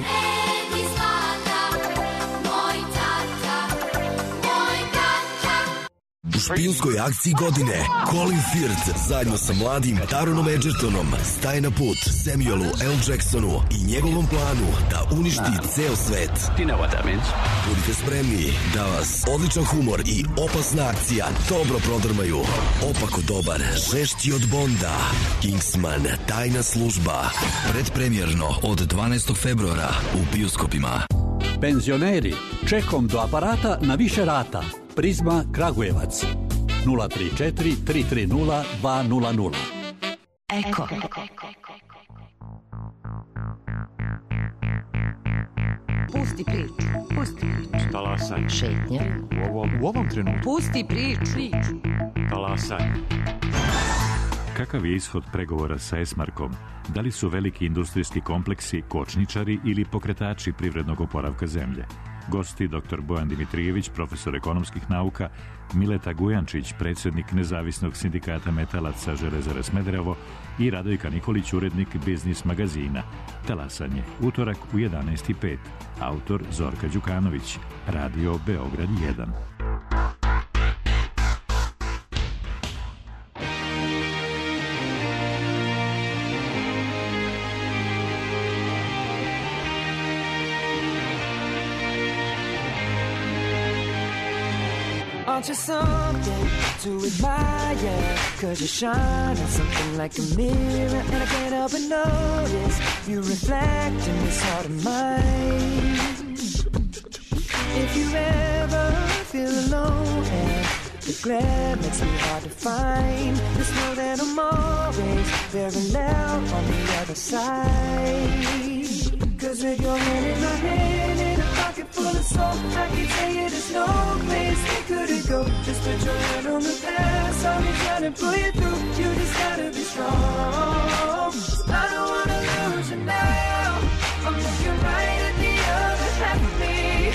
U špijunskoj akciji godine Colin Firth zajedno sa mladim Taronom Edgertonom staje na put Samuelu L. Jacksonu i njegovom planu da uništi ceo svet. Budite spremni da vas odličan humor i opasna akcija dobro prodrmaju. Opako dobar, žešći od Bonda. Kingsman, tajna služba. Predpremjerno od dvanaestog februara u bioskopima. Penzioneri, čekom do aparata na više rata. Prizma Kragujevac. nula tri četiri tri tri nula dva nula nula. Eko. Pusti priču. Talasanje. Šetnja. U ovom, u ovom trenutku. Pusti priču. Talasanje. Kakav je ishod pregovora sa Esmarkom? Da li su veliki industrijski kompleksi kočničari ili pokretači privrednog oporavka zemlje? Gosti doktor Bojan Dimitrijević, profesor ekonomskih nauka, Mileta Gujančić, predsjednik Nezavisnog sindikata metalaca Železare Smederevo i Radojka Nikolić, urednik Biznis magazina. Talasanje, utorak u jedanaest i pet. Autor Zorka Đukanović. Radio Beograd jedan. Aren't you something to admire? Cause you shine on something like a mirror, and I can't help but notice you reflect in this heart of mine. If you ever feel alone and the glare makes me hard to find, just know that I'm always very loud on the other side. Cause with your hand in my hand and a pocket full of soul, I can tell you there's no place we couldn't go. Just put your hand on the past, I'll be trying to pull you through. You just gotta be strong. I don't wanna lose you now. I'm looking right at the other half of me.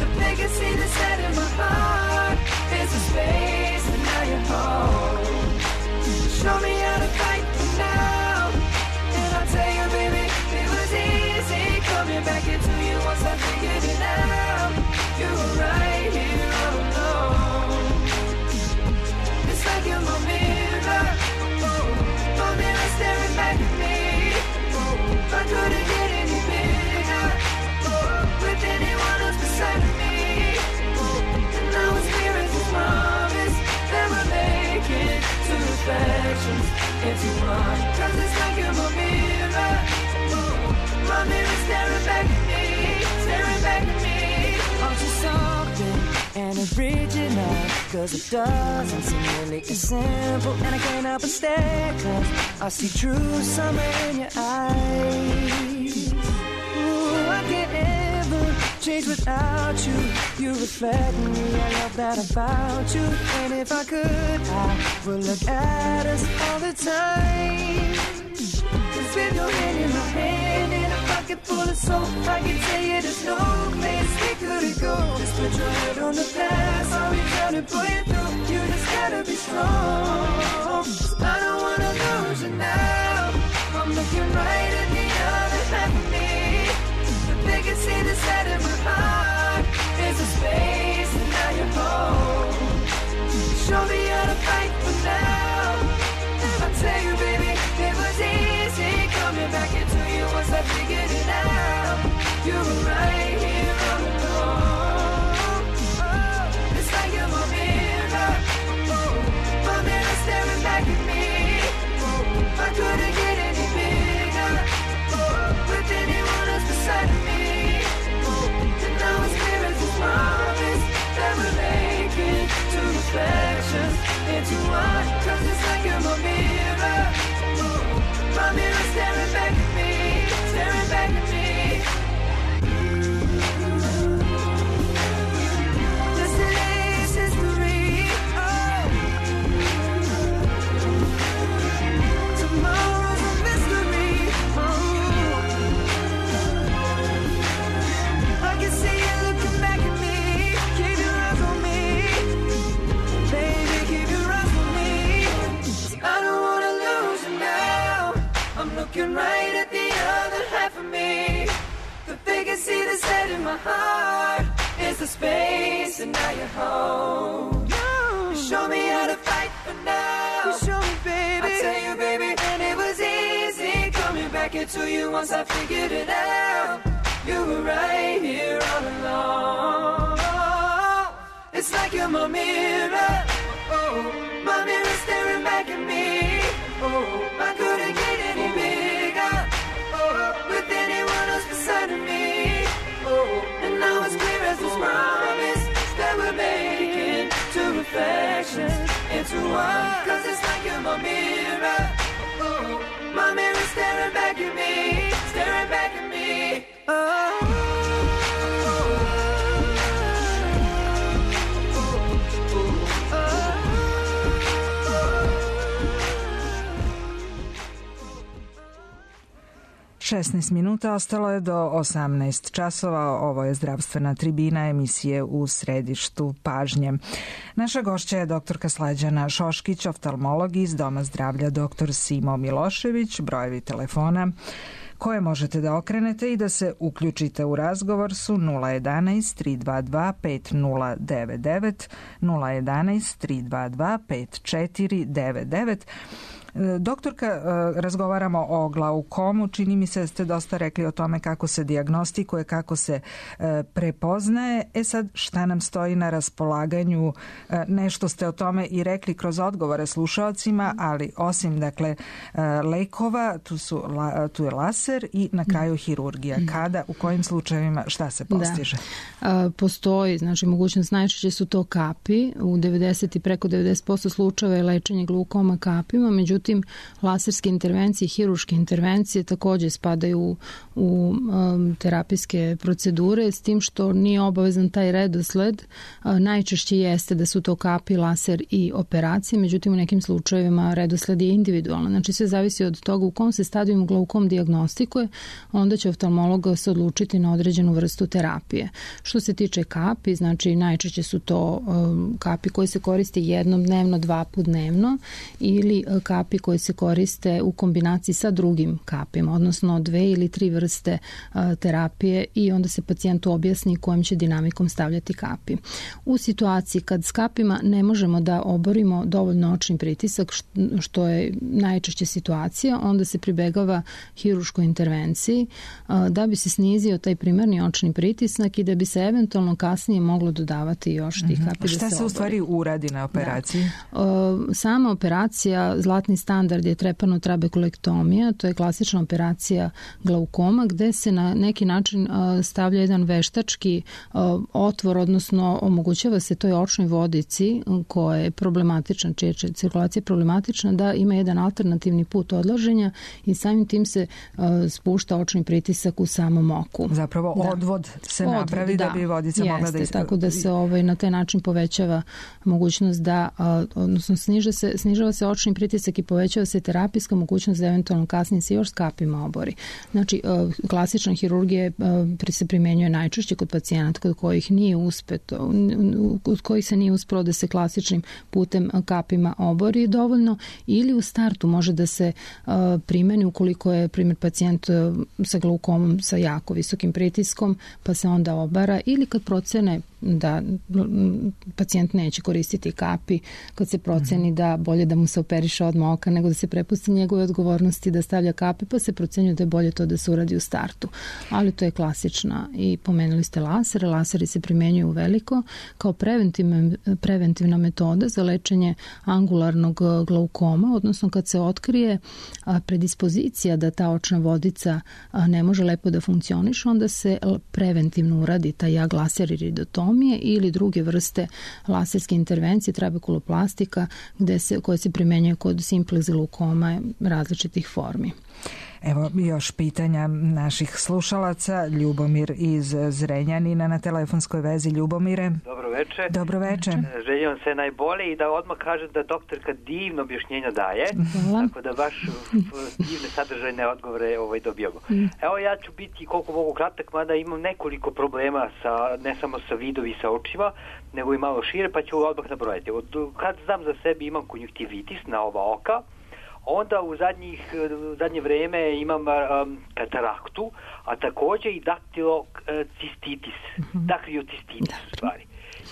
The vacancy that's set in my heart is a space, and now you're home. Show me how to fight for now, and I'll tell you, baby, it was easy coming back into you once I figured it out. You were right here all alone. It's like you're my mirror, oh, my mirror staring back at me. Oh, I couldn't get any bigger, oh, with anyone else beside of me. Oh, and now it's clear as a promise that we're making two reflections into one. Cause it's like you're my mirror, my mirror staring back at me, staring back at me. Aren't you something and original? Cause it doesn't seem really as simple, and I can't help but stare, cause I see true summer in your eyes. Ooh, I can't ever change without you. You reflect me, I love that about you. And if I could, I would look at us all the time. Cause with your hand in my hand and a pocket full of soul, I can tell you there's no place we couldn't go. Just put your head on the past, I'll be trying to pull you through. You just gotta be strong. I don't wanna lose you now. I'm looking right at the other half of me. The vacancy that's set in my heart is a space, and now you're home. Show me how to fight for now, and I'll tell you, baby, it was easy coming back into you once I figured it out. You were right here all along. Oh, it's like you're my mirror, oh, my mirror staring back at me. Oh, I couldn't get any bigger, oh, with anyone else beside of me. Oh, and now it's clear as a promise that we're making two reflections into one. Cause it's like you're my mirror, my mirror staring back at me, staring back at me. Yesterday's history, oh. Tomorrow's a mystery, oh. I can see you looking back at me. Keep your eyes on me, baby, keep your eyes on me. I don't wanna lose you now. I'm looking right at the other half of me. The vacancy that's set in my heart is the space, and now you're home. You show me how to fight for now. You show me, baby. I tell you, baby, and it was easy coming back into you once I figured it out. You were right here all along. It's like you're my mirror, oh, my mirror staring back at me. Oh, I couldn't get any bigger, oh, with anyone else beside of me. Oh, and now it's clear as this promise that we're making two reflections into one. Cause it's like you're my mirror, oh, my mirror staring back at me, staring back at me. Oh, oh, oh. šesnaest minuta, ostalo je do osamnaest časova. Ovo je zdravstvena tribina emisije U središtu pažnje. Naša gošća je doktorka Slađana Šoškić, oftalmolog iz Doma zdravlja doktor Simo Milošević. Brojevi telefona koje možete da okrenete i da se uključite u razgovor su nula jedanaest tri dva dva pet nula devet devet, nula jedanaest tri dva dva pet četiri devet devet. Doktorka, razgovaramo o glaukomu. Čini mi se da ste dosta rekli o tome kako se dijagnostikuje, kako se prepoznaje. E sad, šta nam stoji na raspolaganju? Nešto ste o tome i rekli kroz odgovore slušalcima, ali osim, dakle, lekova, tu, su, tu je laser i na kraju hirurgija. Kada, u kojim slučajevima, šta se postiže? Da. Postoji, znači, mogućnost, najčešće su to kapi. U devedeset i preko devedeset posto slučajeva je lečenje glaukoma kapima, međutim, Međutim, laserske intervencije i hiruške intervencije također spadaju u, u um, terapijske procedure, s tim što nije obavezan taj redosled. Uh, najčešće jeste da su to kapi, laser i operacije, međutim u nekim slučajevima redosled je individualan. Znači sve zavisi od toga u kom se stadiju glaukom dijagnostikuje, onda će oftalmolog se odlučiti na određenu vrstu terapije. Što se tiče kapi, znači najčešće su to um, kapi koji se koriste jednom dnevno, dva put dnevno, ili uh, kapi koji se koriste u kombinaciji sa drugim kapima, odnosno dve ili tri vrste a, terapije, i onda se pacijentu objasni kojim će dinamikom stavljati kapi. U situaciji kad s kapima ne možemo da oborimo dovoljno očni pritisak, što je najčešće situacija, onda se pribegava hiruškoj intervenciji a, da bi se snizio taj primarni očni pritisak i da bi se eventualno kasnije moglo dodavati još tih kapi. Šta da se, se u stvari uradi na operaciji? Da. A, sama operacija, zlatni standard je trepanotrabekulektomija, to je klasična operacija glaukoma gde se na neki način stavlja jedan veštački otvor, odnosno omogućava se toj očnoj vodici koja je problematična, čija je cirkulacija problematična, da ima jedan alternativni put odlaženja i samim tim se spušta očni pritisak u samom oku. Zapravo da. odvod se odvod, napravi da, da bi vodica jeste, mogla da ispravi. Tako da se ovaj, na taj način povećava mogućnost da, odnosno sniža se, snižava se očni pritisak i povećava se terapijska mogućnost da eventualno kasnije se još s kapima obori. Znači, klasična hirurgija se primenjuje najčešće kod pacijenata kod kojih nije uspeto, kod kojih se nije uspelo da se klasičnim putem kapima obori dovoljno, ili u startu može da se primeni ukoliko je primjer pacijent sa glaukomom sa jako visokim pritiskom, pa se onda obara, ili kad procene da pacijent neće koristiti kapi, kad se proceni da bolje da mu se operiše odmah oka nego da se prepusti njegove odgovornosti da stavlja kapi, pa se procenjuje da je bolje to da se uradi u startu. Ali to je klasična. I pomenuli ste lasere. Laseri se primenjuju u veliko kao preventivna, preventivna metoda za lečenje angularnog glaukoma, odnosno kad se otkrije predispozicija da ta očna vodica ne može lepo da funkcioniše, onda se preventivno uradi taj jag laser iridotomije ili druge vrste laserske intervencije, trabekuloplastika, gde se, koje se primenjuje kod simplex glaukoma različitih formi. Evo još pitanja naših slušalaca. Ljubomir iz Zrenjanina na telefonskoj vezi. Ljubomire. Dobro veče. Dobro veče. Želim vam sve najbolje i da odmah kažem da doktorka divno objašnjenja daje. Hvala. Tako da baš divne sadržajne odgovore ovaj, dobijamo. Evo ja ću biti koliko mogu kratak, mada imam nekoliko problema sa, ne samo sa vidovi sa očima, nego i malo šire, pa ću odmah nabrojati. Od kad znam za sebe imam konjunktivitis na oba oka, onda u zadnjih, zadnje vreme imam um, kataraktu, a također i daktilocistitis, mm-hmm. dakriocistitis u stvari.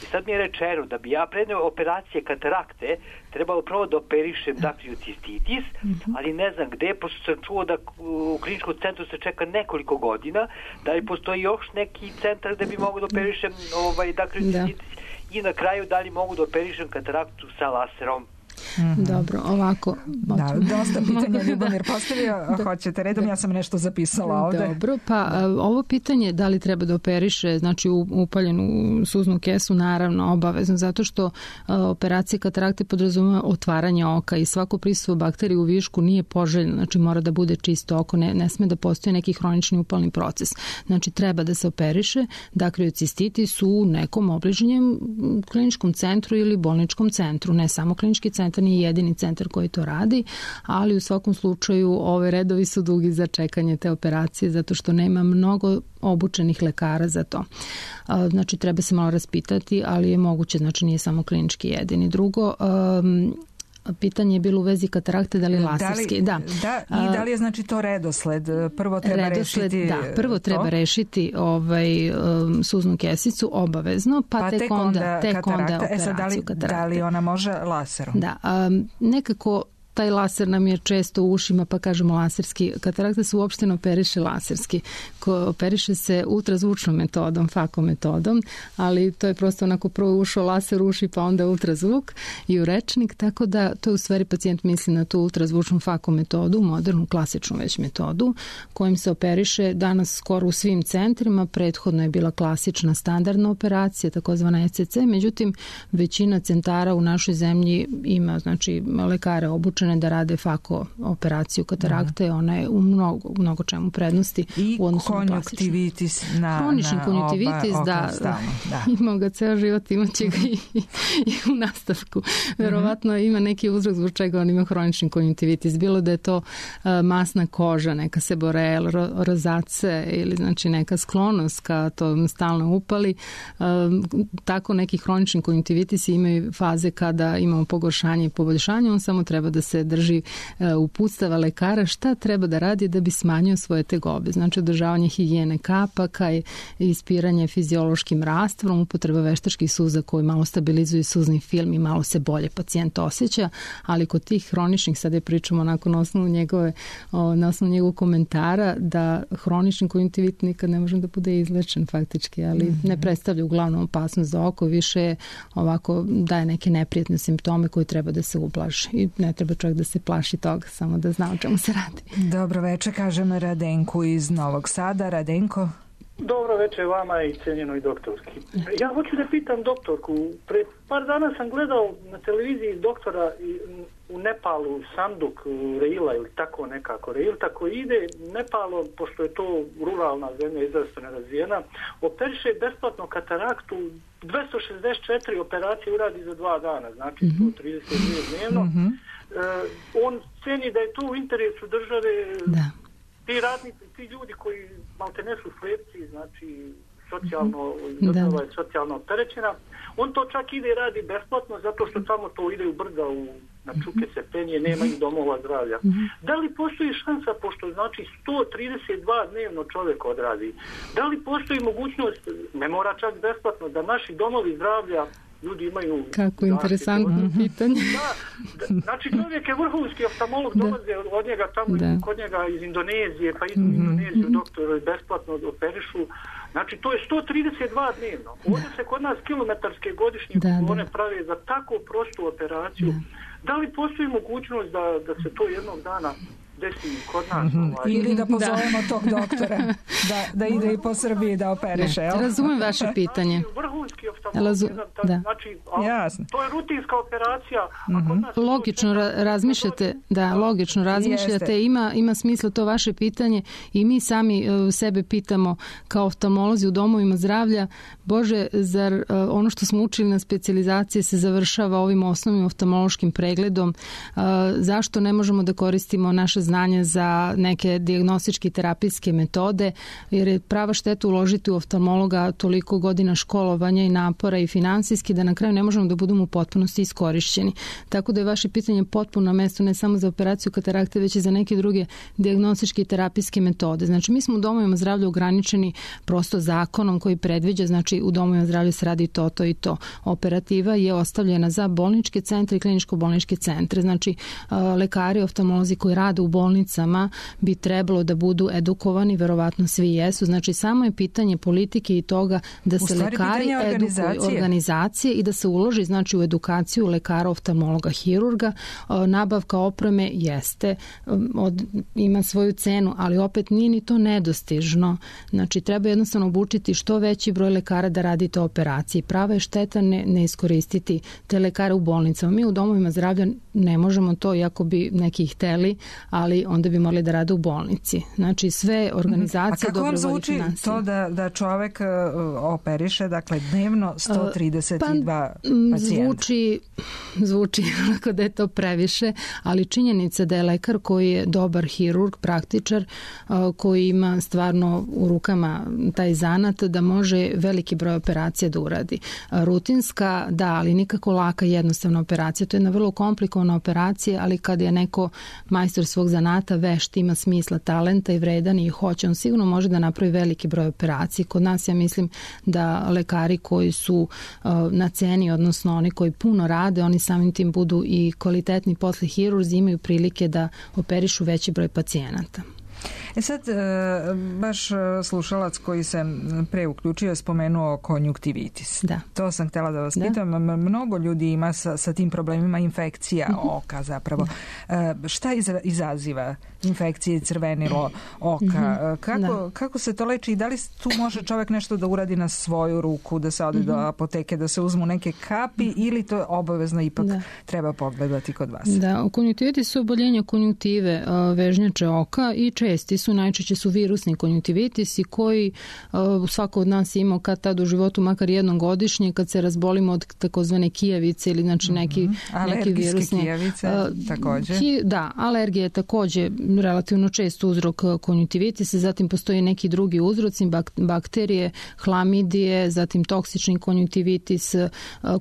I sad mi je rečeno da bi ja pred operacije katarakte trebalo prvo da operišem dakriocistitis, mm-hmm. ali ne znam gde, pošto sam čuo da u kliničkom centru se čeka nekoliko godina, da li postoji još neki centar gde bi mogu da operišem ovaj, dakriocistitis i na kraju da li mogu da operišem kataraktu sa laserom. Mm-hmm. Dobro, ovako. Da, dosta pitanja Ljubomir postavio. Da. Hoćete redom, da. Ja sam nešto zapisala ovde. Dobro, pa ovo pitanje da li treba da operiše, znači upaljenu suznu kesu, naravno obavezno, zato što operacija katarakte podrazumeva otvaranje oka i svako prisustvo bakterije u višku nije poželjno, znači mora da bude čisto oko, ne, ne sme da postoji neki hronični upalni proces. Znači treba da se operiše dakriocistitis u nekom obližnjem kliničkom centru ili bolničkom centru, ne samo klinički centar nije jedini centar koji to radi, ali u svakom slučaju ove redovi su dugi za čekanje te operacije zato što nema mnogo obučenih lekara za to. Znači treba se malo raspitati, ali je moguće, znači nije samo klinički jedini. Drugo, um, pitanje je bilo u vezi katarakte, da li laserski. Da, li, da. da. I da li je znači to redosled? Prvo treba redosled, rešiti da, prvo to? treba rešiti ovaj, um, suznu kesicu obavezno, pa, pa tek, tek onda, tek onda operaciju e sad, da li, katarakte. Da li ona može laserom? Da, um, nekako taj laser nam je često u ušima, pa kažemo laserski. Katarakta se uopšte ne operiše laserski. Ko operiše se ultrazvučnom metodom, fako metodom, ali to je prosto onako prvo ušao laser uši, pa onda ultrazvuk i u rečnik, tako da to je u stvari pacijent misli na tu ultrazvučnu fako metodu, modernu, klasičnu već metodu, kojim se operiše danas skoro u svim centrima. Prethodno je bila klasična standardna operacija, takozvana E C C, međutim većina centara u našoj zemlji ima, znači, lekare obučene da rade fako operaciju katarakte, ona je u mnogo, mnogo čemu prednosti i u odnosu na klasičnu. I konjunktivitis na, Hronični na konjunktivitis, oba, da, stalno, da. Imao ga ceo život, imaće ga i, i u nastavku. Verovatno mm-hmm. ima neki uzrok zbog čega on ima hronični konjunktivitis. Bilo da je to uh, masna koža, neka seborel, ro, rozace ili znači neka sklonost ka to stalno upali. Uh, tako neki hronični konjunktivitis imaju faze kada imamo pogoršanje i poboljšanje, on samo treba da se drži uputstava lekara šta treba da radi da bi smanjio svoje tegobe. Znači održavanje higijene kapaka i ispiranje fiziološkim rastvom, upotreba veštačkih suza koji malo stabilizuju suzni film i malo se bolje pacijent osjeća, ali kod tih hroničnih, sada je pričamo onako na osnovu njegove, na osnovu njegovog komentara da hronični konjunktivit nikad ne može da bude izlečen faktički, ali mm-hmm. ne predstavlja uglavnom opasnost za oko, više ovako daje neke neprijatne simptome koje treba da se ublaži i ne treba čovjek da se plaši toga, samo da zna o čemu se radi. Dobro večer, kažem Radenku iz Novog Sada. Radenko? Dobro večer vama i cijenjenoj doktorki. Ja hoću da pitam doktorku, pre par dana sam gledao na televiziji doktora u Nepalu, Samduk, Reila ili tako nekako, Reil tako ide, Nepalo, pošto je to ruralna zemlja, izrazito nerazvijena, operiše besplatno kataraktu, dvesta šezdeset četiri operacije uradi za dva dana, znači mm-hmm. sto trideset dvije dnevno. Mm-hmm. Uh, on ceni da je to u interesu države, da. Ti radnici, ti ljudi koji malte ne su slepci, znači socijalno, država je socijalno opterećena, on to čak ide i radi besplatno zato što tamo to ide u brda, u, na čuke se penje, nema ih domova zdravlja. Da li postoji šansa, pošto znači sto trideset dva dnevno čovjek odradi, da li postoji mogućnost, ne mora čak besplatno, da naši domovi zdravlja ljudi imaju... Kako interesantno pitanje. Da, da, znači čovjek je vrhunski oftalmolog, dolaze od njega tamo, da. Kod njega iz Indonezije, pa idu u Indoneziju, doktor besplatno operišu. Znači to je sto trideset dva dnevno. Ovdje se kod nas kilometarske godišnje kolone prave za tako prostu operaciju. Da, da li postoji mogućnost da, da se to jednog dana desi kod nas? Ovaj. Ili da pozovemo da. tog doktora da, da ide i po Srbiji da operiše. Ne, razumem vaše pitanje. Vrhunski oftalmolog, da. znači, to je rutinska operacija. A kod nas logično ra- razmišljate, da, logično razmišljate, ima, ima smisla to vaše pitanje i mi sami uh, sebe pitamo kao oftalmolozi u domovima zdravlja, Bože, zar uh, ono što smo učili na specijalizaciji se završava ovim osnovnim oftalmološkim pregledom, uh, zašto ne možemo da koristimo naše znanje za neke dijagnostičke i terapijske metode, jer je prava šteta uložiti u oftalmologa toliko godina školovanja i napora i finansijski da na kraju ne možemo da budemo u potpunosti iskorišćeni. Tako da je vaše pitanje potpuno na mestu ne samo za operaciju katarakte, već i za neke druge dijagnostičke i terapijske metode. Znači mi smo u domovima zdravlja ograničeni prosto zakonom koji predviđa, znači u domovima zdravlja se radi to, to i to. Operativa je ostavljena za bolničke centre i kliničko-bolničke centre. Znači lekari, oftalmolozi koji rade u bolnicama bi trebalo da budu edukovani, verovatno svi jesu. Znači samo je pitanje politike i toga da se lekari edukuju, organizacije i da se uloži znači u edukaciju lekara, oftalmologa, hirurga. Nabavka opreme jeste, od, ima svoju cenu, ali opet nije ni to nedostižno. Znači treba jednostavno obučiti što veći broj lekara da radi te operacije. Prava je šteta ne, ne iskoristiti te lekare u bolnicama. Mi u domovima zdravlja ne možemo to, iako bi neki hteli, ali ali onda bi morali da rade u bolnici. Znači sve organizacije dobrovoljnih financija. A kako vam zvuči to da, da čovek operiše, dakle dnevno sto trideset dva pa, pacijenta? Zvuči, zvuči onako da je to previše, ali činjenica da je lekar koji je dobar hirurg, praktičar, koji ima stvarno u rukama taj zanat, da može veliki broj operacija da uradi. Rutinska, da, ali nikako laka jednostavna operacija. To je jedna vrlo komplikovana operacija, ali kad je neko majstor svog zanata, vešt, ima smisla, talenta i vredan i hoće, on sigurno može da napravi veliki broj operacija. Kod nas ja mislim da lekari koji su uh, na ceni, odnosno oni koji puno rade, oni samim tim budu i kvalitetni posle hirurzi, imaju prilike da operišu veći broj pacijenata. E sad, baš slušalac koji se pre uključio spomenuo konjuktivitis. Da. To sam htjela da vas da. pitam. Mnogo ljudi ima sa, sa tim problemima infekcija mm-hmm. oka zapravo. Da. Šta izaziva infekcije, crvenilo oka? Mm-hmm. Kako, kako se to leči i da li tu može čovjek nešto da uradi na svoju ruku, da se ode mm-hmm. do apoteke, da se uzmu neke kapi mm-hmm. ili to obavezno ipak da. treba pogledati kod vas? Da, konjuktivitis su oboljenja konjunktive vežnjače oka i česti su, najčešće su virusni konjunktivitisi koji uh, svako od nas ima kad tad u životu makar jednom godišnje kad se razbolimo od takozvane kijavice ili znači neki, mm-hmm. neki virusni. Kijavice uh, također. Ki, da, alergija je također relativno čest uzrok konjunktivitisa, zatim postoji neki drugi uzroci, bak, bakterije, hlamidije, zatim toksični konjunktivitis, uh,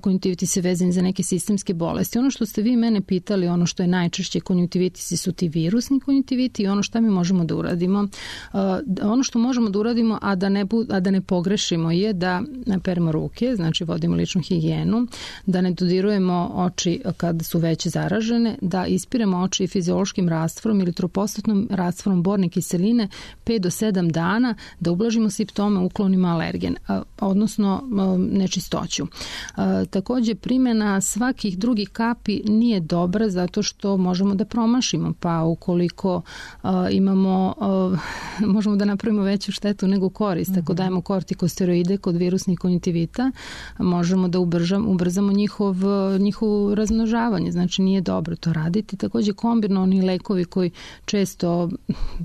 konjunktivitis je vezan za neke sistemske bolesti. Ono što ste vi mene pitali, ono što je najčešće konjunktivitisi su ti virusni konjunktiviti i ono što mi možemo da uradimo. Uh, ono što možemo da uradimo, a da ne, a da ne pogrešimo je da peremo ruke, znači vodimo ličnu higijenu, da ne dodirujemo oči kad su već zaražene, da ispiremo oči fiziološkim rastvorom ili tropostatnom rastvorom borne kiseline pet do sedam dana, da ublažimo simptome, uklonimo alergen, uh, odnosno uh, nečistoću. Uh, također primjena svakih drugih kapi nije dobra zato što možemo da promašimo, pa ukoliko uh, imamo uh, možemo da napravimo veću štetu nego korist. Ako dajemo kortikosteroide kod virusnih konjunktivita, možemo da ubržam, ubrzamo njihov, njihovo razmnožavanje. Znači nije dobro to raditi. Također kombinovani lekovi koji često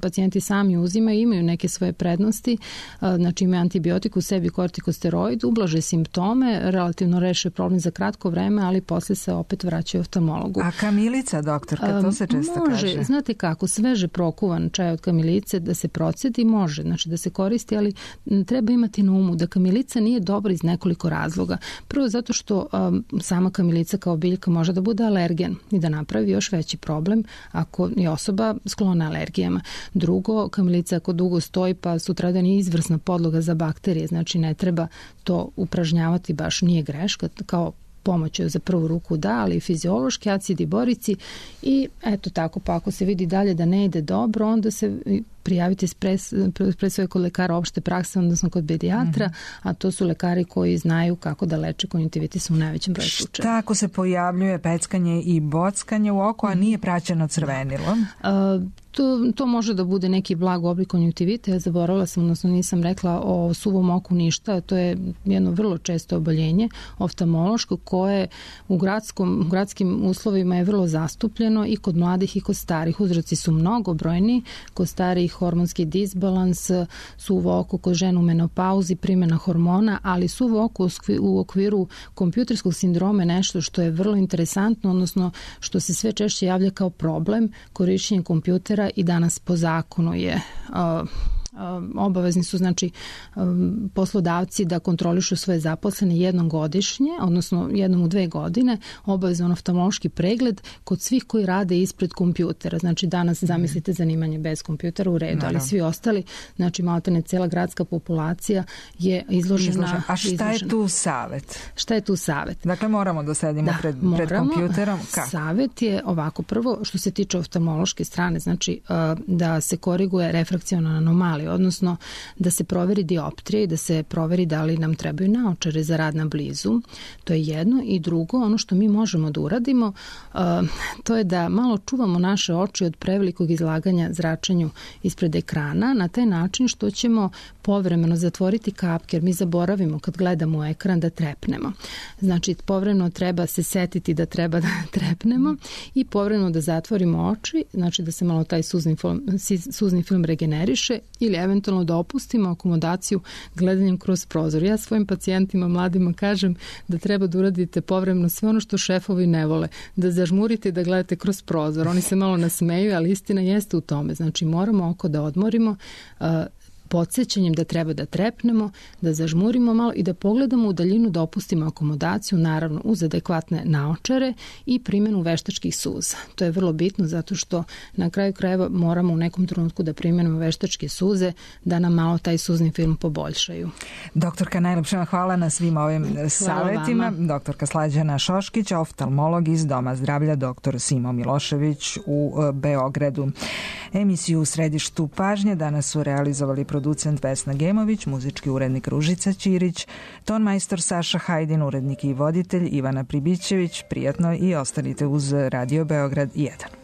pacijenti sami uzimaju imaju neke svoje prednosti. Znači imaju antibiotik u sebi, kortikosteroid, ublaže simptome, relativno reše problem za kratko vreme, ali posle se opet vraćaju oftalmologu. A kamilica, doktorka, to se često može, kaže. Znate kako, sveže prokuvan čaj od kamilice da se procedi, može, znači da se koristi, ali treba imati na umu da kamilica nije dobra iz nekoliko razloga. Prvo zato što um, sama kamilica kao biljka može da bude alergen i da napravi još veći problem ako je osoba sklona alergijama. Drugo, kamilica ako dugo stoji pa sutradan je izvrsna podloga za bakterije, znači ne treba to upražnjavati, baš nije greška, kao pomoć za prvu ruku da, ali i fiziološki acidi borici i eto tako, pa ako se vidi dalje da ne ide dobro, onda se prijavite pred svoje kod lekara opšte prakse, odnosno kod pedijatra, mm-hmm. a to su lekari koji znaju kako da leče konjunktivitis u najvećem broju slučajeva. Šta ako se pojavljuje peckanje i bockanje u oku, a nije praćeno crvenilom? Uh, To, to može da bude neki blag oblik konjunktivita. Ja zaboravila sam, odnosno nisam rekla o suvom oku ništa. To je jedno vrlo često oboljenje oftalmološko koje u, gradskom, u gradskim uslovima je vrlo zastupljeno i kod mladih i kod starih. Uzroci su mnogobrojni. Kod starih hormonski disbalans, suvo oko kod žena u menopauzi, primjena hormona, ali suvo oko u okviru kompjuterskog sindroma je nešto što je vrlo interesantno, odnosno što se sve češće javlja kao problem korišćenja kompjutera i danas po zakonu je uh, obavezni su znači poslodavci da kontrolišu svoje zaposlene jednom godišnje, odnosno jednom u dve godine, obavezan oftalmološki pregled kod svih koji rade ispred kompjutera. Znači danas zamislite zanimanje bez kompjutera u redu, ali svi ostali, znači maltene cijela gradska populacija je izložena. Izložen. A šta izložena. je tu savjet? Šta je tu savjet? Dakle, moramo da sedimo da, pred, moramo. pred kompjuterom. Kako? Savjet je ovako, prvo što se tiče oftalmološke strane, znači da se koriguje refrakciona anomalija, odnosno da se proveri dioptrija i da se proveri da li nam trebaju naočare za rad na blizu. To je jedno. I drugo, ono što mi možemo da uradimo, to je da malo čuvamo naše oči od prevelikog izlaganja zračenju ispred ekrana na taj način što ćemo povremeno zatvoriti kapke, jer mi zaboravimo kad gledamo u ekran da trepnemo. Znači, povremeno treba se setiti da treba da trepnemo i povremeno da zatvorimo oči, znači da se malo taj suzni film, suzni film regeneriše ili eventualno da opustimo akomodaciju gledanjem kroz prozor. Ja svojim pacijentima, mladima, kažem da treba da uradite povremeno sve ono što šefovi ne vole, da zažmurite i da gledate kroz prozor. Oni se malo nasmeju, ali istina jeste u tome. Znači, moramo oko da odmorimo, uh, podsjećanjem da treba da trepnemo, da zažmurimo malo i da pogledamo u daljinu, da opustimo akomodaciju, naravno uz adekvatne naočare i primjenu veštačkih suza. To je vrlo bitno zato što na kraju krajeva moramo u nekom trenutku da primjenimo veštačke suze da nam malo taj suzni film poboljšaju. Doktorka, najlepša vam hvala na svim ovim savjetima. Doktorka Slađana Šoškić, oftalmolog iz Doma zdravlja doktor Simo Milošević u Beogradu. Emisiju u središtu pažnje danas su realizovali producent Vesna Gemović, muzički urednik Ružica Ćirić, ton majstor Saša Hajdin, urednik i voditelj Ivana Pribićević. Prijatno i ostanite uz Radio Beograd jedan.